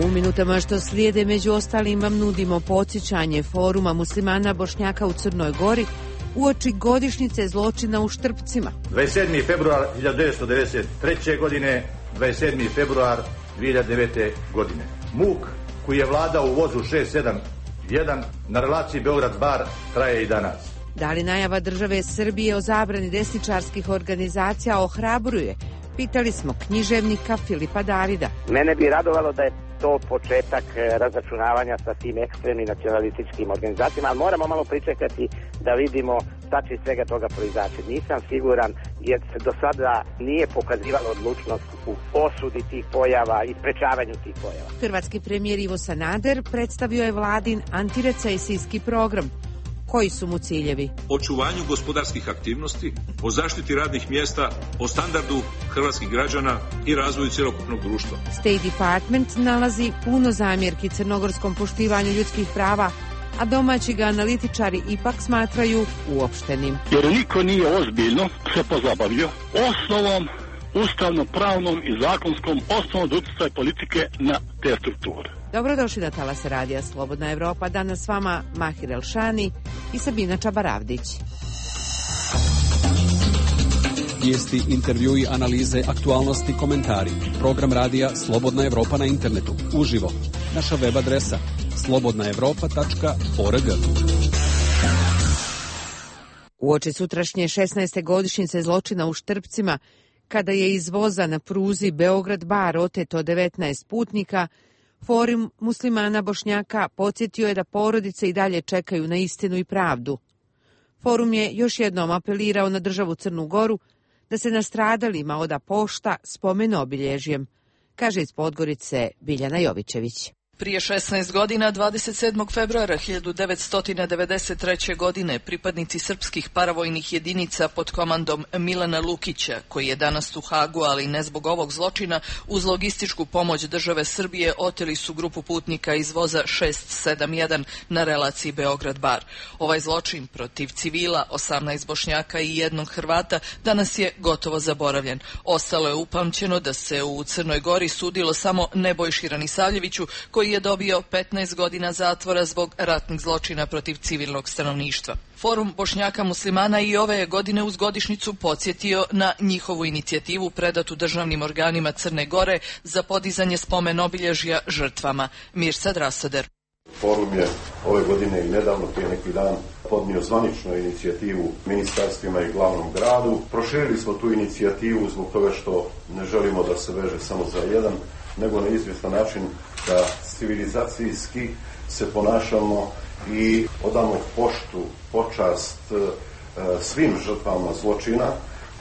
U minutama što slijede, među ostalim, vam nudimo podsjećanje Foruma muslimana Bošnjaka u Crnoj Gori uoči godišnjice zločina u Štrpcima. 27. februar 1993. godine, 27. februar 2009. godine. Muk koji je vladao u vozu 671 na relaciji Beograd-Bar traje i danas. Da li najava države Srbije o zabrani desničarskih organizacija ohrabruje? Pitali smo književnika Filipa Davida. Mene bi radovalo da je to početak razračunavanja sa tim ekstremnim nacionalističkim organizacijama, ali moramo malo pričekati da vidimo šta će iz svega toga proizaći. Nisam siguran jer se do sada nije pokazivalo odlučnost u osudi tih pojava i sprečavanju tih pojava. Hrvatski premijer Ivo Sanader predstavio je vladin antirecesijski program. Koji su mu ciljevi? Očuvanju gospodarskih aktivnosti, o zaštiti radnih mjesta, o standardu hrvatskih građana i razvoju cjelokupnog društva. State Department nalazi puno zamjerki crnogorskom poštivanju ljudskih prava, a domaći ga analitičari ipak smatraju uopštenim. Jer niko nije ozbiljno se pozabavio osnovom, ustavno-pravnom i zakonskom osnovom utjecaja politike na te strukture. Dobrodošli na talase Radija Slobodna Evropa. Danas s vama Mahir Elšani i Sabina Čabaravdić. Vijesti, intervjui, analize, aktualnosti, komentari. Program Radija Slobodna Evropa na internetu. Uživo. Naša web adresa slobodnaevropa.org. Uoči sutrašnje 16. godišnjice zločina u Štrpcima, kada je iz voza na pruzi Beograd-Bar oteto 19 putnika, Forum muslimana Bošnjaka podsjetio je da porodice i dalje čekaju na istinu i pravdu. Forum je još jednom apelirao na državu Crnu Goru da se nastradalima oda pošta spomen obilježjem, kaže iz Podgorice Biljana Jovićević. Prije 16 godina, 27. februara 1993. godine, pripadnici srpskih paravojnih jedinica pod komandom Milana Lukića, koji je danas u Hagu, ali ne zbog ovog zločina, uz logističku pomoć države Srbije oteli su grupu putnika iz voza 671 na relaciji Beograd-Bar. Ovaj zločin protiv civila, 18 Bošnjaka i 1 Hrvata, danas je gotovo zaboravljen. Ostalo je upamćeno da se u Crnoj Gori sudilo samo Nebojši Ranisavljeviću, koji je dobio 15 godina zatvora zbog ratnih zločina protiv civilnog stanovništva. Forum Bošnjaka muslimana i ove godine uz godišnjicu podsjetio na njihovu inicijativu predatu državnim organima Crne Gore za podizanje spomen obilježja žrtvama. Mirsad Rasader. Forum je ove godine i nedavno, prije neki dan, podnio zvaničnu inicijativu ministarstvima i glavnom gradu. Proširili smo tu inicijativu zbog toga što ne želimo da se veže samo za jedan, nego na izvjestan način da civilizacijski se ponašamo i odamo poštu, počast svim žrtvama zločina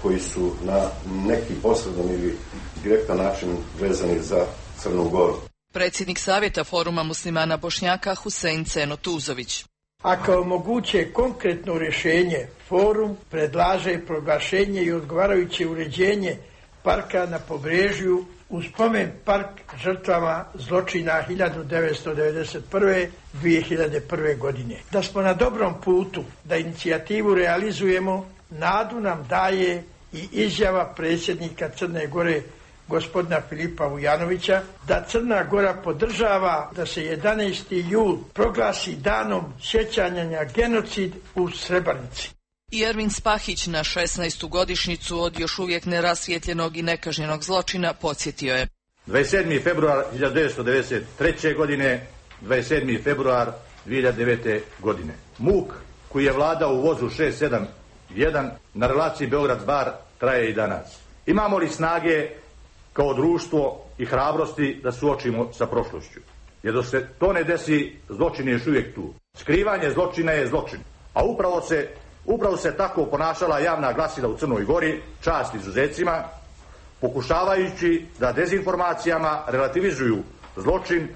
koji su na neki posredan ili direktan način vezani za Crnu Goru. Predsjednik Savjeta Foruma muslimana Bošnjaka Husein Ceno Tuzović. A kao moguće konkretno rješenje, Forum predlaže proglašenje i odgovarajuće uređenje parka na Pobrežju u spomen park žrtvama zločina 1991-2001. godine. Da smo na dobrom putu da inicijativu realizujemo, nadu nam daje i izjava predsjednika Crne Gore gospodina Filipa Vujanovića da Crna Gora podržava da se 11. jul proglasi danom sjećanja na genocid u Srebrenici. I Ervin Spahić na 16. godišnjicu od još uvijek nerasvijetljenog i nekažnjenog zločina podsjetio je. 27. februar 1993. godine, 27. februar 2009. godine. Muk koji je vladao u vozu 671 na relaciji Beograd-Bar traje i danas. Imamo li snage kao društvo i hrabrosti da suočimo sa prošlošću? Jer dok se to ne desi, zločin je još uvijek tu. Skrivanje zločina je zločin. A upravo se tako ponašala javna glasila u Crnoj Gori, čast izuzecima, pokušavajući da dezinformacijama relativizuju zločin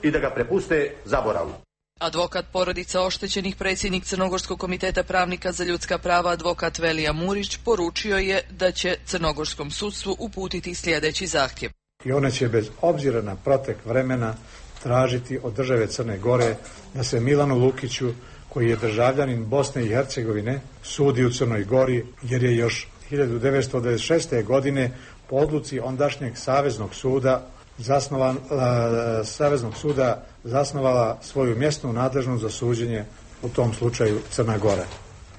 i da ga prepuste zaboravu. Advokat porodica oštećenih, predsjednik Crnogorskog komiteta pravnika za ljudska prava, advokat Velija Murić, poručio je da će crnogorskom sudstvu uputiti sljedeći zahtjev. I ona će bez obzira na protek vremena tražiti od države Crne Gore da se Milanu Lukiću, koji je državljanin Bosne i Hercegovine, sudi u Crnoj Gori, jer je još 1996. godine po odluci ondašnjeg Saveznog suda zasnovala svoju mjesnu nadležnost za suđenje u tom slučaju Crna Gora.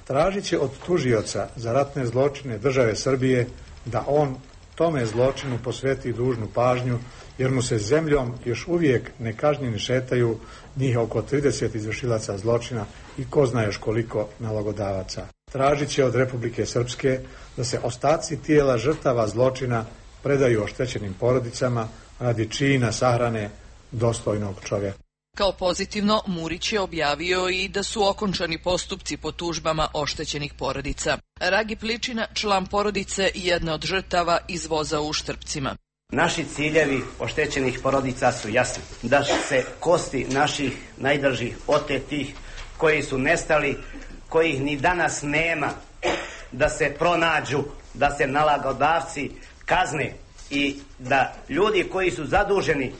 Tražit će od tužioca za ratne zločine države Srbije da on tome zločinu posveti dužnu pažnju, jer mu se zemljom još uvijek nekažnjeni šetaju njih oko 30 izvršilaca zločina i ko zna još koliko nalogodavaca. Tražit će od Republike Srpske da se ostaci tijela žrtava zločina predaju oštećenim porodicama radi čina sahrane dostojnog čovjeka. Kao pozitivno, Murić je objavio i da su okončani postupci po tužbama oštećenih porodica. Ragi Pličina, član porodice, jedne od žrtava iz voza u Štrpcima. Naši ciljevi oštećenih porodica su jasni. Da se kosti naših najdražih otetih, koji su nestali, kojih ni danas nema, da se pronađu, da se nalogodavci kazne i da ljudi koji su zaduženi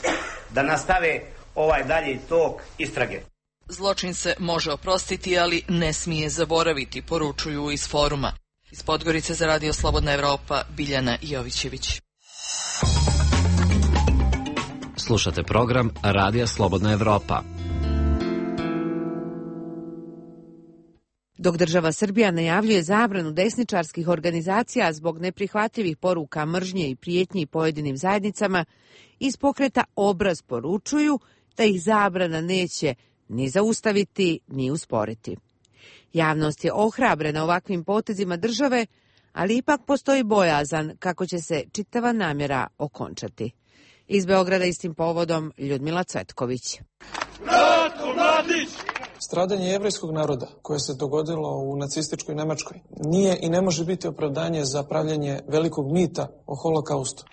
da nastave ovaj dalji tok istrage. Zločin se može oprostiti, ali ne smije zaboraviti, poručuju iz foruma. Iz Podgorice za Radio Slobodna Evropa, Biljana Jovićević. Slušate program Radija Slobodna Evropa. Dok država Srbija najavljuje zabranu desničarskih organizacija zbog neprihvatljivih poruka mržnje i prijetnji pojedinim zajednicama, iz pokreta Obraz poručuju da ih zabrana neće ni zaustaviti, ni usporiti. Javnost je ohrabrena ovakvim potezima države, ali ipak postoji bojazan kako će se čitava namjera okončati. Iz Beograda istim povodom Ljudmila Cvetković. Ratko Mladić! Stradanje jevrejskog naroda koje se dogodilo u nacističkoj Nemačkoj nije i ne može biti opravdanje za pravljenje velikog mita o holokaustu.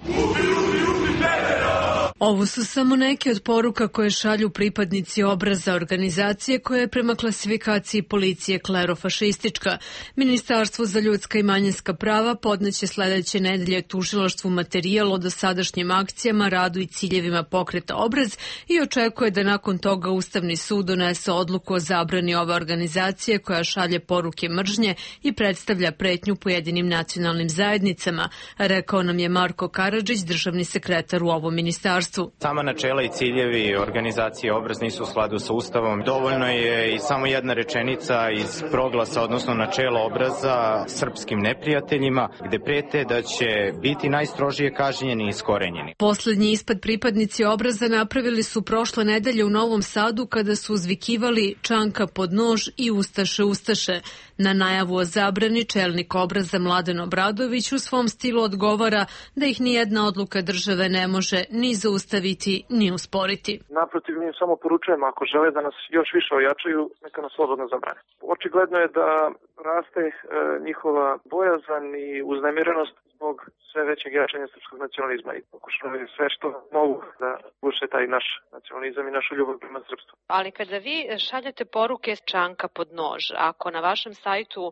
Ovo su samo neke od poruka koje šalju pripadnici Obraza, organizacije koja je prema klasifikaciji policije klerofašistička. Ministarstvo za ljudska i manjinska prava podneće sledeće nedelje tužilaštvu materijal o dosadašnjim akcijama, radu i ciljevima pokreta Obraz i očekuje da nakon toga Ustavni sud donese odluku o zabrani ove organizacije koja šalje poruke mržnje i predstavlja pretnju pojedinim nacionalnim zajednicama, rekao nam je Marko Karadžić, državni sekretar u ovom ministarstvu. Sama načela i ciljevi organizacije Obraz nisu u skladu sa Ustavom. Dovoljno je i samo jedna rečenica iz proglasa, odnosno načela Obraza srpskim neprijateljima, gde prete da će biti najstrožije kažnjeni i iskorenjeni. Poslednji ispad pripadnici Obraza napravili su prošle nedelje u Novom Sadu kada su uzvikivali Čanka pod nož i Ustaše, Ustaše. Na najavu o zabrani čelnik Obraza Mladen Obradović u svom stilu odgovara da ih nijedna odluka države ne može ni zaustaviti, ni usporiti. Naprotiv, mi samo poručujemo, ako žele da nas još više ojačaju, neka nas slobodno zabrane. Očigledno je da raste njihova bojazan i uznemirenost zbog sve većeg jačanja srpskog nacionalizma i pokušavaju sve što mogu da uše taj naš nacionalizam i našu ljubav prema srpstvu. Ali kada vi šaljete poruke s Čanka pod nož, ako na vašem sajtu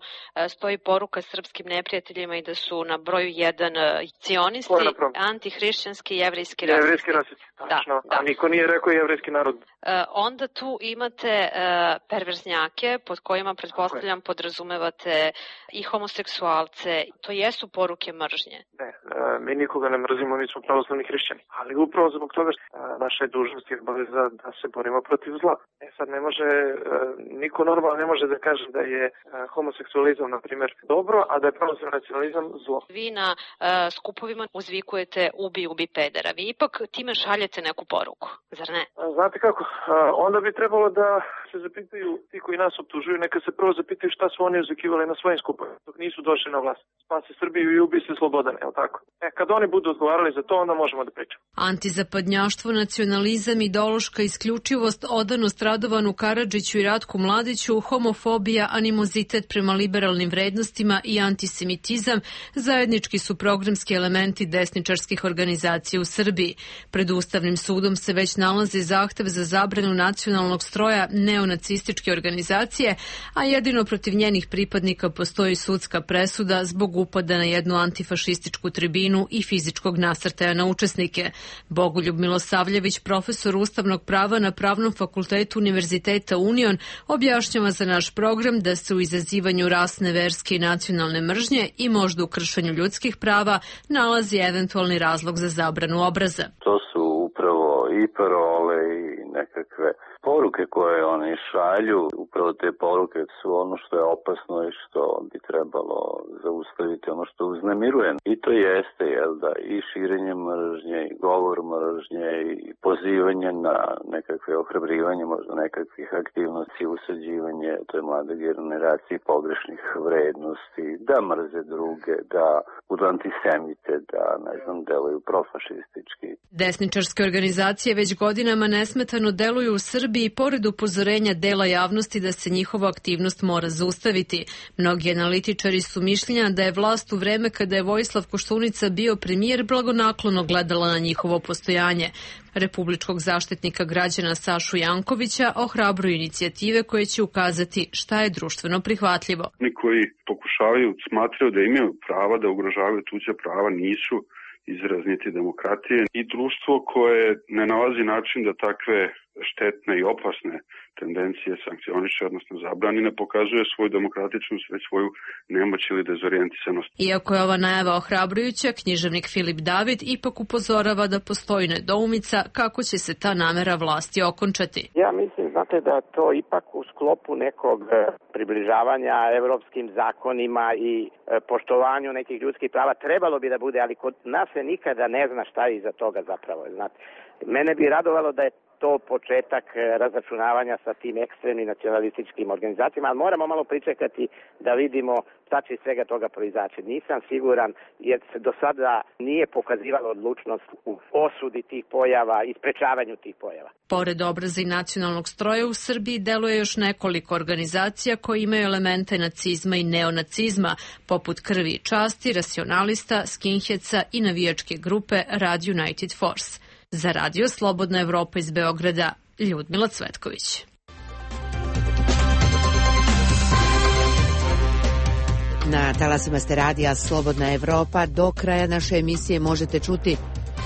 stoji poruka srpskim neprijateljima i da su na broju 1 cionisti, antihrišćanski, jevrejski rasisti. Jevrejski rasisti, tačno. Da. A niko nije rekao jevrejski narod. Onda tu imate perverznjake pod kojima, pretpostavljam, podrazumevate i homoseksualce. To jesu poruke mržnje. Ne, mi nikoga ne mrzimo, mi smo pravoslavni hrišćani. Ali upravo zbog toga naša je dužnost i obaveza da se borimo protiv zla. Sad ne može, niko normalno ne može da kaže da je homoseksualizam, na primjer, dobro, a da je pravoslavni nacionalizam zlo. Vi na skupovima uzvikujete ubi pedera. Vi ipak time šaljete neku poruku, zar ne? Znate kako, onda bi trebalo da se zapitaju ti koji nas optužuju, neka se prvo zapitaju šta su oni uzvikivali na svojim skupovima dok nisu došli na vlast. Spasi Srbiju i ubi se Slobodan, je li tako? Kad oni budu odgovarali za to, onda možemo da pričamo. Antizapadnjaštvo, nacionalizam, ideološka isključivost, odanost Radovanu Karadžiću i Ratku Mladiću, homofobija, animozitet prema liberalnim vrednostima i antisemitizam zajednički su programski elementi desničarskih organizacija u Srbiji. Pred Ustavnim sudom se već nalazi zahtev za zabranu nacionalnog stroja neonacističke organizacije, a jedino protiv njenih pripadnika postoji sudska presuda zbog upada na jednu antifašističku tribinu i fizičkog nasrtaja na učesnike. Bogoljub Milosavljević, profesor ustavnog prava na Pravnom fakultetu Univerziteta Union, objašnjava za naš program da se u izazivanju rasne, verske i nacionalne mržnje i možda u kršenju ljudskih prava nalazi eventualni razlog za zabranu obraza. To su upravo i parole i nekakve poruke koje oni šalju. Upravo te poruke su ono što je opasno i što bi trebalo zaustaviti, ono što uznemiruje. I to jeste, i širenje mržnje, i govor mržnje, i pozivanje na nekakve ohrabrivanje, možda nekakvih aktivnosti, usađivanje toj mlade generaciji pogrešnih vrednosti, da mrze druge, da budu antisemite, da, deluju profašistički. Desničarske organizacije već godinama nesmetano deluju u Srbiji pored upozorenja dela javnosti da se njihova aktivnost mora zaustaviti. Mnogi analitičari su mišljenja da je vlast u vreme kada je Vojislav Koštunica bio premijer blagonaklono gledala na njihovo postojanje. Republičkog zaštitnika građana Sašu Jankovića ohrabruju inicijative koje će ukazati šta je društveno prihvatljivo. Oni koji pokušavaju, smatraju da imaju prava da ugrožavaju tuđa prava, nisu izraz niti demokratije i društvo koje ne nalazi način da takve štetne i opasne tendencije sankcioniše, odnosno zabrani, ne pokazuje svoju demokratičnost, već svoju nemoć ili dezorijentisanost. Iako je ova najava ohrabrujuća, književnik Filip David ipak upozorava da postoji nedoumica kako će se ta namera vlasti okončati. Ja mislim, da to ipak u sklopu nekog približavanja evropskim zakonima i poštovanju nekih ljudskih prava trebalo bi da bude, ali kod nas se nikada ne zna šta je iza toga zapravo. Mene bi radovalo da je to početak razračunavanja sa tim ekstremnim nacionalističkim organizacijama, ali moramo malo pričekati da vidimo šta će iz svega toga proizaći. Nisam siguran jer se do sada nije pokazivalo odlučnost u osudi tih pojava i sprečavanju tih pojava. Pored obraza i nacionalnog stroja u Srbiji deluje još nekoliko organizacija koje imaju elemente nacizma i neonacizma, poput Krvi i časti, Racionalista, Skinheadsa i navijačke grupe Rad United Force. Za Radio Slobodna Evropa iz Beograda, Ljudmila Cvetković. Na talasima ste Radija Slobodna Evropa. Do kraja naše emisije možete čuti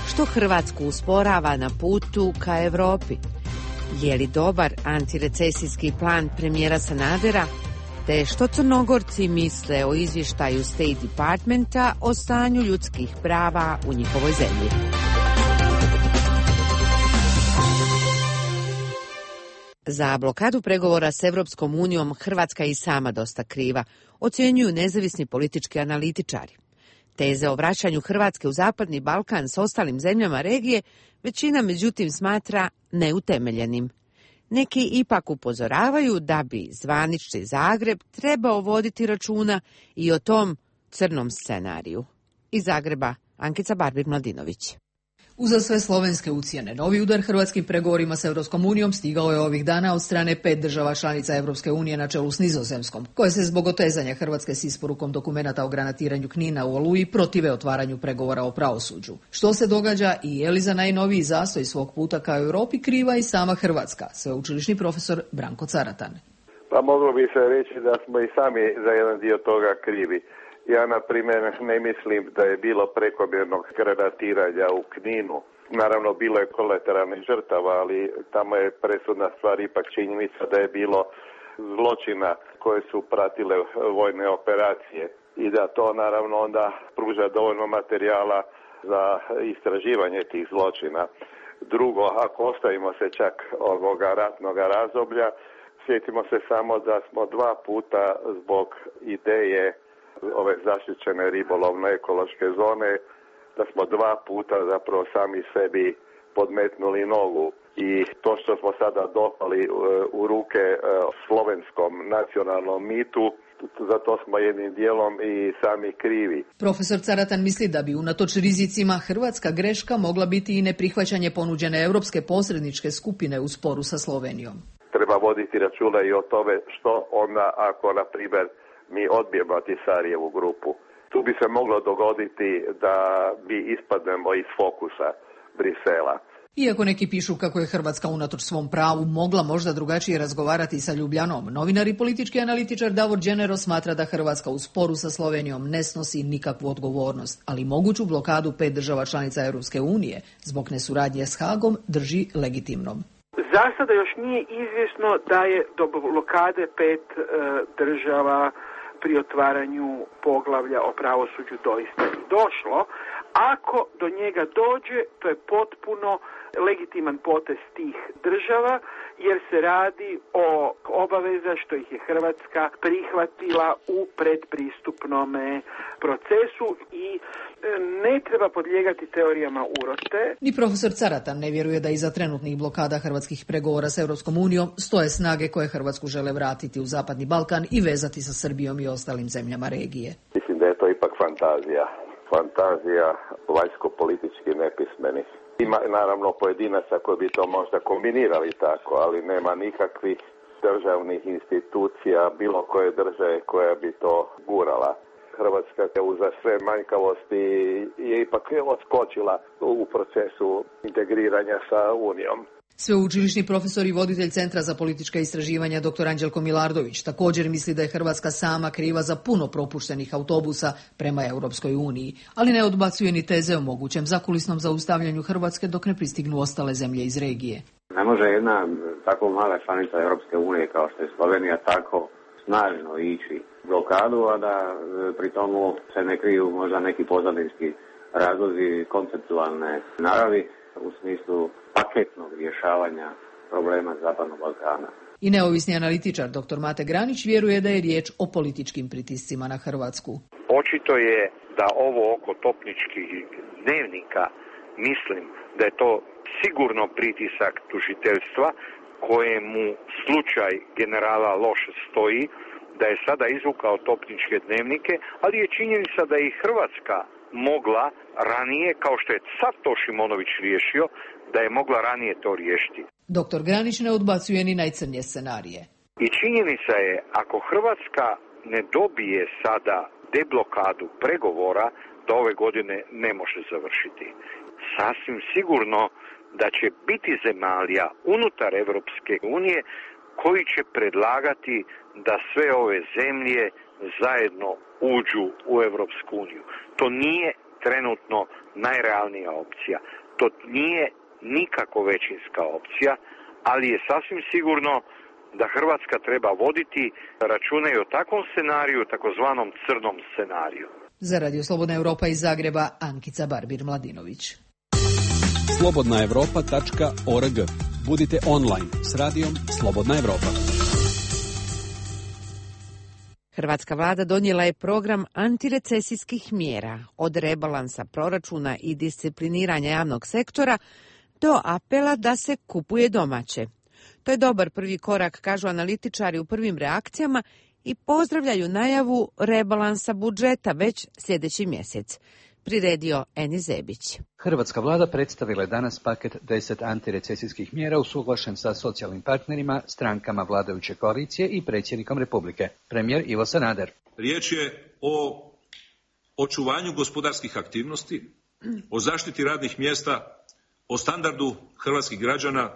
što Hrvatsku usporava na putu ka Evropi. Je li dobar antirecesijski plan premijera Sanadera? Te što Crnogorci misle o izvještaju State Departmenta o stanju ljudskih prava u njihovoj zemlji. Za blokadu pregovora s Evropskom unijom Hrvatska je i sama dosta kriva, ocjenjuju nezavisni politički analitičari. Teze o vraćanju Hrvatske u Zapadni Balkan s ostalim zemljama regije većina međutim smatra neutemeljenim. Neki ipak upozoravaju da bi zvanični Zagreb trebao voditi računa i o tom crnom scenariju. Iz Zagreba, Ankica Barbir-Mladinović. Uza sve slovenske ucjene, novi udar hrvatskim pregovorima s Europskom unijom stigao je ovih dana od strane 5 država članica Europske unije na čelu s Nizozemskom, koje se zbog otezanja Hrvatske s isporukom dokumenata o granatiranju Knina u Oluji protive otvaranju pregovora o pravosuđu. Što se događa i je li za najnoviji zastoj svog puta ka Europi kriva i sama Hrvatska, sveučilišni profesor Branko Caratan. Pa moglo bi se reći da smo i sami za jedan dio toga krivi. Ja, na primjer, ne mislim da je bilo prekomjernog granatiranja u Kninu. Naravno, bilo je kolateralnih žrtava, ali tamo je presudna stvar ipak činjenica da je bilo zločina koje su pratile vojne operacije i da to naravno onda pruža dovoljno materijala za istraživanje tih zločina. Drugo, ako ostavimo se čak ovoga ratnoga razdoblja, sjetimo se samo da smo 2 puta zbog ideje ove zaštićene ribolovno-ekološke zone, da smo 2 puta zapravo sami sebi podmetnuli nogu. I to što smo sada dopali u ruke slovenskom nacionalnom mitu, za to smo jednim dijelom i sami krivi. Profesor Caratan misli da bi unatoč rizicima hrvatska greška mogla biti i neprihvaćanje ponuđene europske posredničke skupine u sporu sa Slovenijom. Treba voditi računa i o tome što onda ako, na primjer, mi odbijemo Ahtisarijevu grupu. Tu bi se moglo dogoditi da mi ispadnemo iz fokusa. Brisela. Iako neki pišu kako je Hrvatska unatoč svom pravu mogla možda drugačije razgovarati sa Ljubljanom, novinar i politički analitičar Davor Đenero smatra da Hrvatska u sporu sa Slovenijom ne snosi nikakvu odgovornost, ali moguću blokadu 5 država članica Europske unije zbog nesuradnje s Hagom drži legitimnom. Za sada još nije izvjesno da je do blokade 5 država pri otvaranju poglavlja o pravosuđu doista i došlo. Ako do njega dođe, to je potpuno legitiman potez tih država, jer se radi o obaveza što ih je Hrvatska prihvatila u predpristupnome procesu i ne treba podlijegati teorijama urote. Ni profesor Caratan ne vjeruje da iza trenutnih blokada hrvatskih pregovora s Europskom unijom stoje snage koje Hrvatsku žele vratiti u Zapadni Balkan i vezati sa Srbijom i ostalim zemljama regije. Mislim da je to ipak fantazija vanjsko-politički nepismenih. Ima naravno pojedinaca koji bi to možda kombinirali tako, ali nema nikakvih državnih institucija bilo koje države koja bi to gurala. Hrvatska uza sve manjkavosti je ipak odskočila u procesu integriranja sa Unijom. Sveučilišni profesor i voditelj Centra za politička istraživanja dr. Anđelko Milardović također misli da je Hrvatska sama kriva za puno propuštenih autobusa prema Europskoj uniji, ali ne odbacuje ni teze o mogućem zakulisnom zaustavljanju Hrvatske dok ne pristignu ostale zemlje iz regije. Ne može jedna tako mala članica Europske unije kao što je Slovenija tako snažno ići blokadu, a da pri tomu se ne kriju možda neki pozadinski razlozi konceptualne naravi u smislu paketnog rješavanja problema Zapadnog Balkana. I neovisni analitičar dr. Mate Granić vjeruje da je riječ o političkim pritiscima na Hrvatsku. Očito je da ovo oko topničkih dnevnika, mislim da je to sigurno pritisak tužiteljstva kojemu slučaj generala loše stoji, da je sada izvukao topničke dnevnike, ali je činjenica da je i Hrvatska mogla ranije, kao što je sad to Šimonović riješio, da je mogla ranije to riješiti. Doktor Granić ne odbacuje ni najcrnije scenarije. I činjenica je, ako Hrvatska ne dobije sada deblokadu pregovora, da ove godine ne može završiti. Sasvim sigurno da će biti zemalja unutar Europske unije koji će predlagati da sve ove zemlje zajedno uđu u Europsku uniju. To nije trenutno najrealnija opcija. To nije nikako većinska opcija, ali je sasvim sigurno da Hrvatska treba voditi račune i o takvom scenariju, takozvanom crnom scenariju. Za Radio Slobodna Europa iz Zagreba, Ankica Barbir-Mladinović. slobodnaevropa.org. Budite online s radijom Slobodna Evropa. Hrvatska vlada donijela je program antirecesijskih mjera, od rebalansa proračuna i discipliniranja javnog sektora do apela da se kupuje domaće. To je dobar prvi korak, kažu analitičari u prvim reakcijama, i pozdravljaju najavu rebalansa budžeta već sljedeći mjesec. Priredio Eni Zebić. Hrvatska vlada predstavila je danas paket 10 antirecesijskih mjera usuglašen sa socijalnim partnerima, strankama vladajuće koalicije i predsjednikom Republike, premijer Ivo Sanader. Riječ je o očuvanju gospodarskih aktivnosti, o zaštiti radnih mjesta, o standardu hrvatskih građana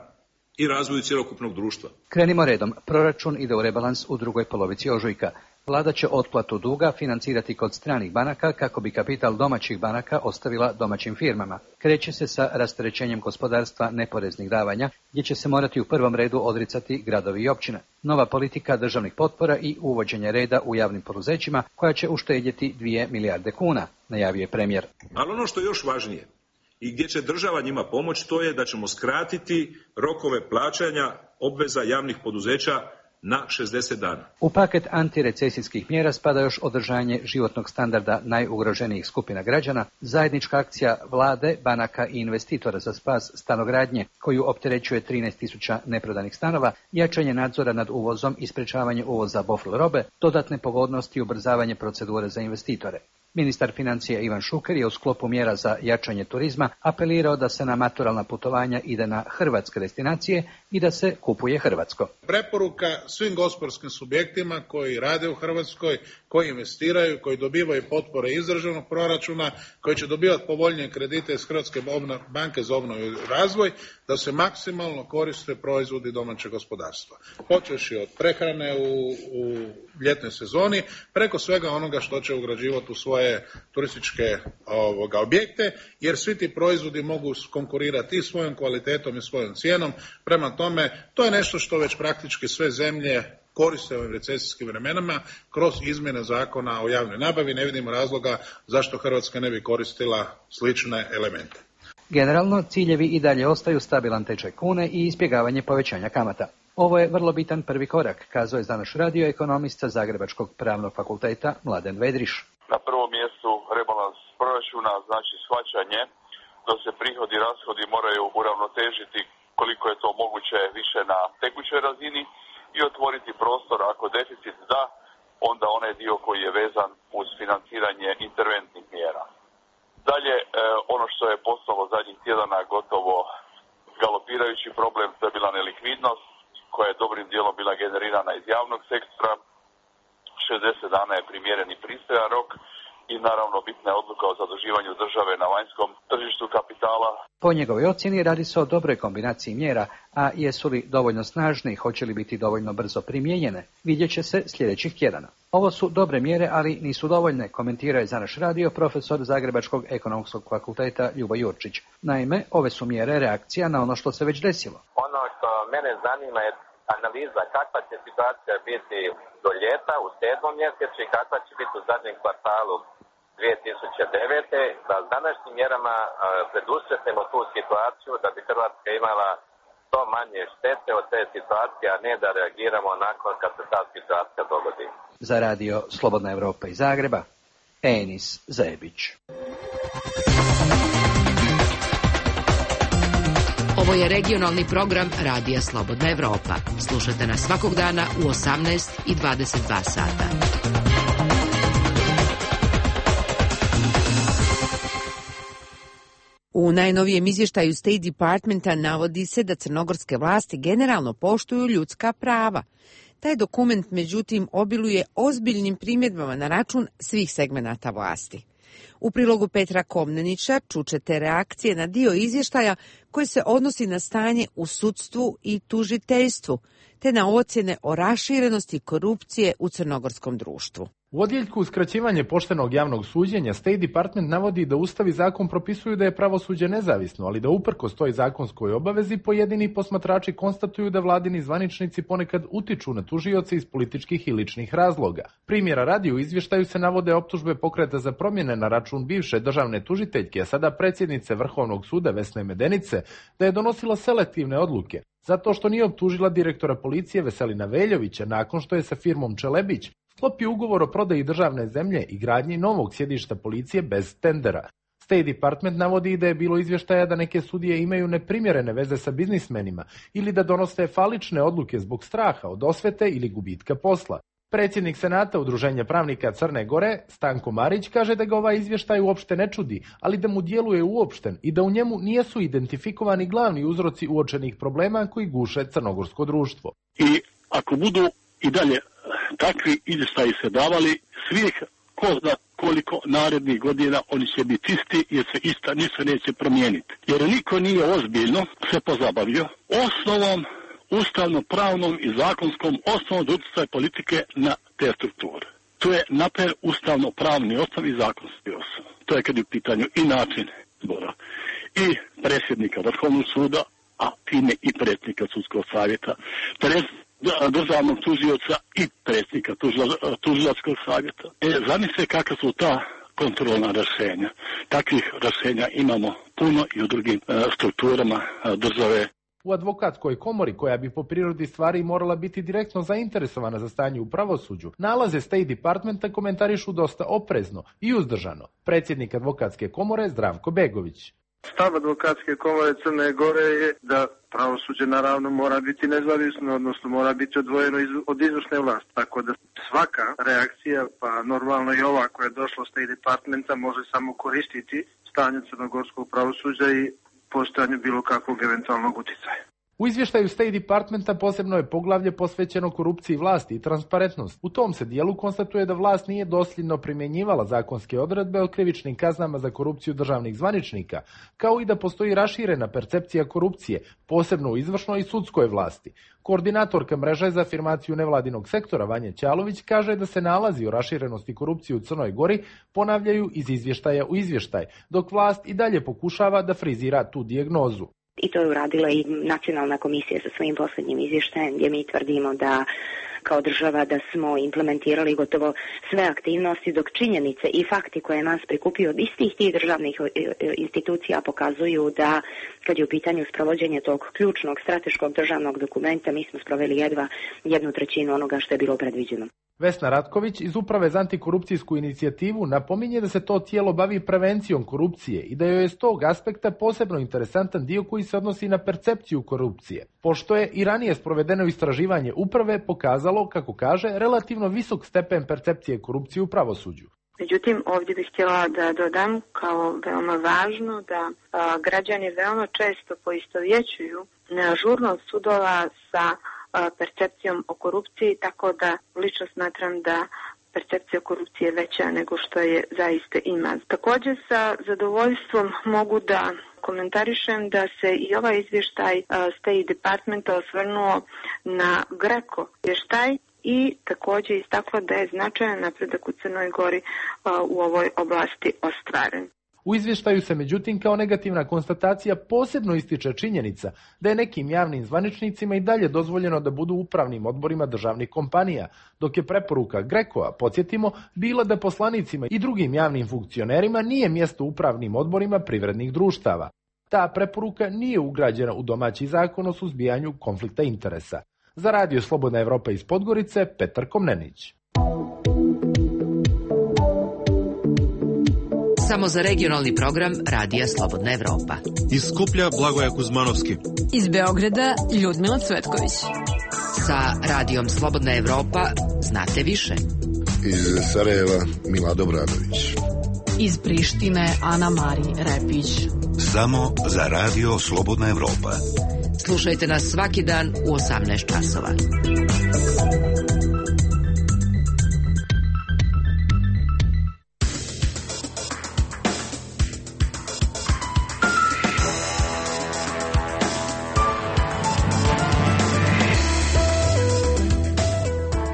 i razvoju cjelokupnog društva. Krenimo redom. Proračun ide u rebalans u drugoj polovici ožujka. Vlada će otplatu duga financirati kod stranih banaka kako bi kapital domaćih banaka ostavila domaćim firmama. Kreće se sa rasterećenjem gospodarstva neporeznih davanja, gdje će se morati u prvom redu odricati gradovi i općine. Nova politika državnih potpora i uvođenje reda u javnim poduzećima koja će uštedjeti 2 milijarde kuna, najavio je premijer. Ali ono što je još važnije i gdje će država njima pomoći, to je da ćemo skratiti rokove plaćanja obveza javnih poduzeća na 60 dana. U paket antirecesijskih mjera spada još održanje životnog standarda najugroženijih skupina građana, zajednička akcija vlade, banaka i investitora za spas stanogradnje, koju opterećuje 13.000 neprodanih stanova, jačanje nadzora nad uvozom i sprečavanje uvoza bofl robe, dodatne pogodnosti i ubrzavanje procedure za investitore. Ministar financija Ivan Šuker je u sklopu mjera za jačanje turizma apelirao da se na maturalna putovanja ide na hrvatske destinacije i da se kupuje hrvatsko. Preporuka svim gospodarskim subjektima koji rade u Hrvatskoj, koji investiraju, koji dobivaju potpore iz državnog proračuna, koji će dobivati povoljnije kredite iz Hrvatske banke za obnovu i razvoj, da se maksimalno koriste proizvodi domaćeg gospodarstva. Počevši od prehrane u ljetnoj sezoni, preko svega onoga što će ugrađivati u svoje turističke objekte, jer svi ti proizvodi mogu konkurirati i svojom kvalitetom i svojom cijenom. Prema tome, to je nešto što već praktički sve zemlje koriste u ovim recesijskim vremenama kroz izmjene zakona o javnoj nabavi. Ne vidimo razloga zašto Hrvatska ne bi koristila slične elemente. Generalno, ciljevi i dalje ostaju stabilan tečaj kune i izbjegavanje povećanja kamata. Ovo je vrlo bitan prvi korak, kazao je za naš radio ekonomist sa Zagrebačkog pravnog fakulteta Mladen Vedriš. Na prvom mjestu rebalans proračuna, znači shvaćanje da se prihodi i rashodi moraju uravnotežiti koliko je to moguće više na tekućoj razini i otvoriti prostor ako deficit da, onda onaj dio koji je vezan uz financiranje interventnih mjera. Dalje, ono što je postalo zadnjih tjedana gotovo galopirajući problem, to je bila nelikvidnost koja je dobrim dijelom bila generirana iz javnog sektora. 60 dana je primjereni pristojan rok i naravno bitna je odluka o zaduživanju države na vanjskom tržištu kapitala. Po njegovoj ocjeni radi se o dobroj kombinaciji mjera, a jesu li dovoljno snažne i hoće li biti dovoljno brzo primijenjene, vidjet će se sljedećih tjedana. Ovo su dobre mjere, ali nisu dovoljne, komentira je za naš radio profesor Zagrebačkog ekonomskog fakulteta Ljubo Jurčić. Naime, ove su mjere reakcija na ono što se već desilo. Ono što mene zanima je analiza kakva će situacija biti do ljeta u 7. mjesecu i kakva će biti u zadnjem kvartalu 2009. da s današnjim mjerama predusretimo tu situaciju da bi Hrvatska imala što manje štete od te situacije, a ne da reagiramo nakon kad se ta situacija dogodi. Za radio Slobodna Evropa iz Zagreba, Enis Zebić. Ovo je regionalni program Radija Slobodna Evropa. Slušajte nas svakog dana u 18 i 22 sata. U najnovijem izvještaju State Departmenta navodi se da crnogorske vlasti generalno poštuju ljudska prava. Taj dokument, međutim, obiluje ozbiljnim primjedbama na račun svih segmenata vlasti. U prilogu Petra Komnenića čućete reakcije na dio izvještaja koji se odnosi na stanje u sudstvu i tužiteljstvu, te na ocjene o raširenosti korupcije u crnogorskom društvu. U odjeljku uskraćivanje poštenog javnog suđenja State Department navodi da Ustav i zakon propisuju da je pravosuđe nezavisno, ali da uprkos toj zakonskoj obavezi pojedini posmatrači konstatuju da vladini zvaničnici ponekad utiču na tužioce iz političkih i ličnih razloga. Primjera radi, u izvještaju se navode optužbe Pokreta za promjene na račun bivše državne tužiteljke, a sada predsjednice Vrhovnog suda Vesne Medenice, da je donosila selektivne odluke, zato što nije optužila direktora policije Veselina Veljovića nakon što je sa firmom Čelebić sklopio ugovor o prodaji državne zemlje i gradnji novog sjedišta policije bez tendera. State Department navodi da je bilo izvještaja da neke sudije imaju neprimjerene veze sa biznismenima ili da donose falične odluke zbog straha od osvete ili gubitka posla. Predsjednik Senata Udruženja pravnika Crne Gore, Stanko Marić, kaže da ga ovaj izvještaj uopšte ne čudi, ali da mu djeluje uopšten i da u njemu nisu identifikovani glavni uzroci uočenih problema koji guše crnogorsko društvo. I ako budu i dalje takvi izvještaji se davali, svih ko zna koliko narednih godina oni će biti isti jer se ništa neće promijeniti. Jer niko nije ozbiljno se pozabavio osnovom ustavno-pravnom i zakonskom osnovom utjecaja politike na te strukture. To je napred ustavno-pravni osnov i zakonski osnov. To je kad je u pitanju i način izbora i predsjednika Vrhovnog suda, a time i predsjednika Sudskog savjeta, državnog tužioca i predsjednika tužilačkog savjeta. Zamislite kakva su ta kontrolna rješenja. Takvih rješenja imamo puno i u drugim strukturama države. U advokatskoj komori, koja bi po prirodi stvari morala biti direktno zainteresovana za stanje u pravosuđu, nalaze State Departmenta komentarišu dosta oprezno i uzdržano. Predsjednik advokatske komore Zdravko Begović. Stav advokatske komore Crne Gore je da pravosuđe naravno mora biti nezavisno, odnosno mora biti odvojeno od izvršne vlasti. Tako da svaka reakcija, pa normalno i ova koja je došla od State Departmenta, može samo koristiti stanje crnogorskog pravosuđa i postojanju bilo kakvog eventualnog utjecaja. U izvještaju State Departmenta posebno je poglavlje posvećeno korupciji vlasti i transparentnost. U tom se dijelu konstatuje da vlast nije dosljedno primjenjivala zakonske odredbe o krivičnim kaznama za korupciju državnih zvaničnika, kao i da postoji raširena percepcija korupcije, posebno u izvršnoj i sudskoj vlasti. Koordinatorka mreže za afirmaciju nevladinog sektora Vanja Ćalović kaže da se nalazi o raširenosti korupcije u Crnoj Gori ponavljaju iz izvještaja u izvještaj, dok vlast i dalje pokušava da frizira tu dijagnozu. I to je uradila i Nacionalna komisija sa svojim posljednjim izvještajem, gdje mi tvrdimo da kao država da smo implementirali gotovo sve aktivnosti, dok činjenice i fakti koje nas prikupio od istih tih državnih institucija pokazuju da kad je u pitanju sprovođenje tog ključnog strateškog državnog dokumenta mi smo sproveli jedva 1/3 onoga što je bilo predviđeno. Vesna Ratković iz Uprave za antikorupcijsku inicijativu napominje da se to tijelo bavi prevencijom korupcije i da joj je s tog aspekta posebno interesantan dio koji se odnosi na percepciju korupcije, pošto je i ranije sprovedeno istraživanje uprave pokazalo, kako kaže, relativno visok stepen percepcije korupcije u pravosuđu. Međutim, ovdje bih htjela da dodam kao veoma važno da građani veoma često poistovjećuju neažurnost sudova sa percepcijom o korupciji, tako da lično smatram da percepcija korupcije je veća nego što je zaista ima. Također sa zadovoljstvom mogu da komentarišem da se i ovaj izvještaj State Departmenta osvrnuo na GRECO izvještaj i također istakla da je značajan napredak u Crnoj Gori u ovoj oblasti ostvaren. U izvještaju se međutim kao negativna konstatacija posebno ističe činjenica da je nekim javnim zvaničnicima i dalje dozvoljeno da budu u upravnim odborima državnih kompanija, dok je preporuka GRECO-a, podsjetimo, bila da poslanicima i drugim javnim funkcionerima nije mjesto u upravnim odborima privrednih društava. Ta preporuka nije ugrađena u domaći zakon o suzbijanju konflikta interesa. Za Radio Slobodna Evropa iz Podgorice, Petar Komnenić. Samo za regionalni program Radija Slobodna Evropa. Iz Skuplja Blagoja Kuzmanovski. Iz Beograda Ljudmila Cvetković. Sa Radijom Slobodna Evropa znate više. Iz Sarajeva Milado Bradović. Iz Prištine Ana Mari Repić. Samo za Radio Slobodna Evropa. Slušajte nas svaki dan u 18 časova.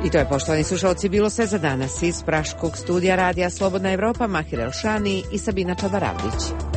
I to je, poštovani slušalci, bilo sve za danas. Iz praškog studija Radija Slobodna Evropa, Mahir Elšani i Sabina Čabaravlić.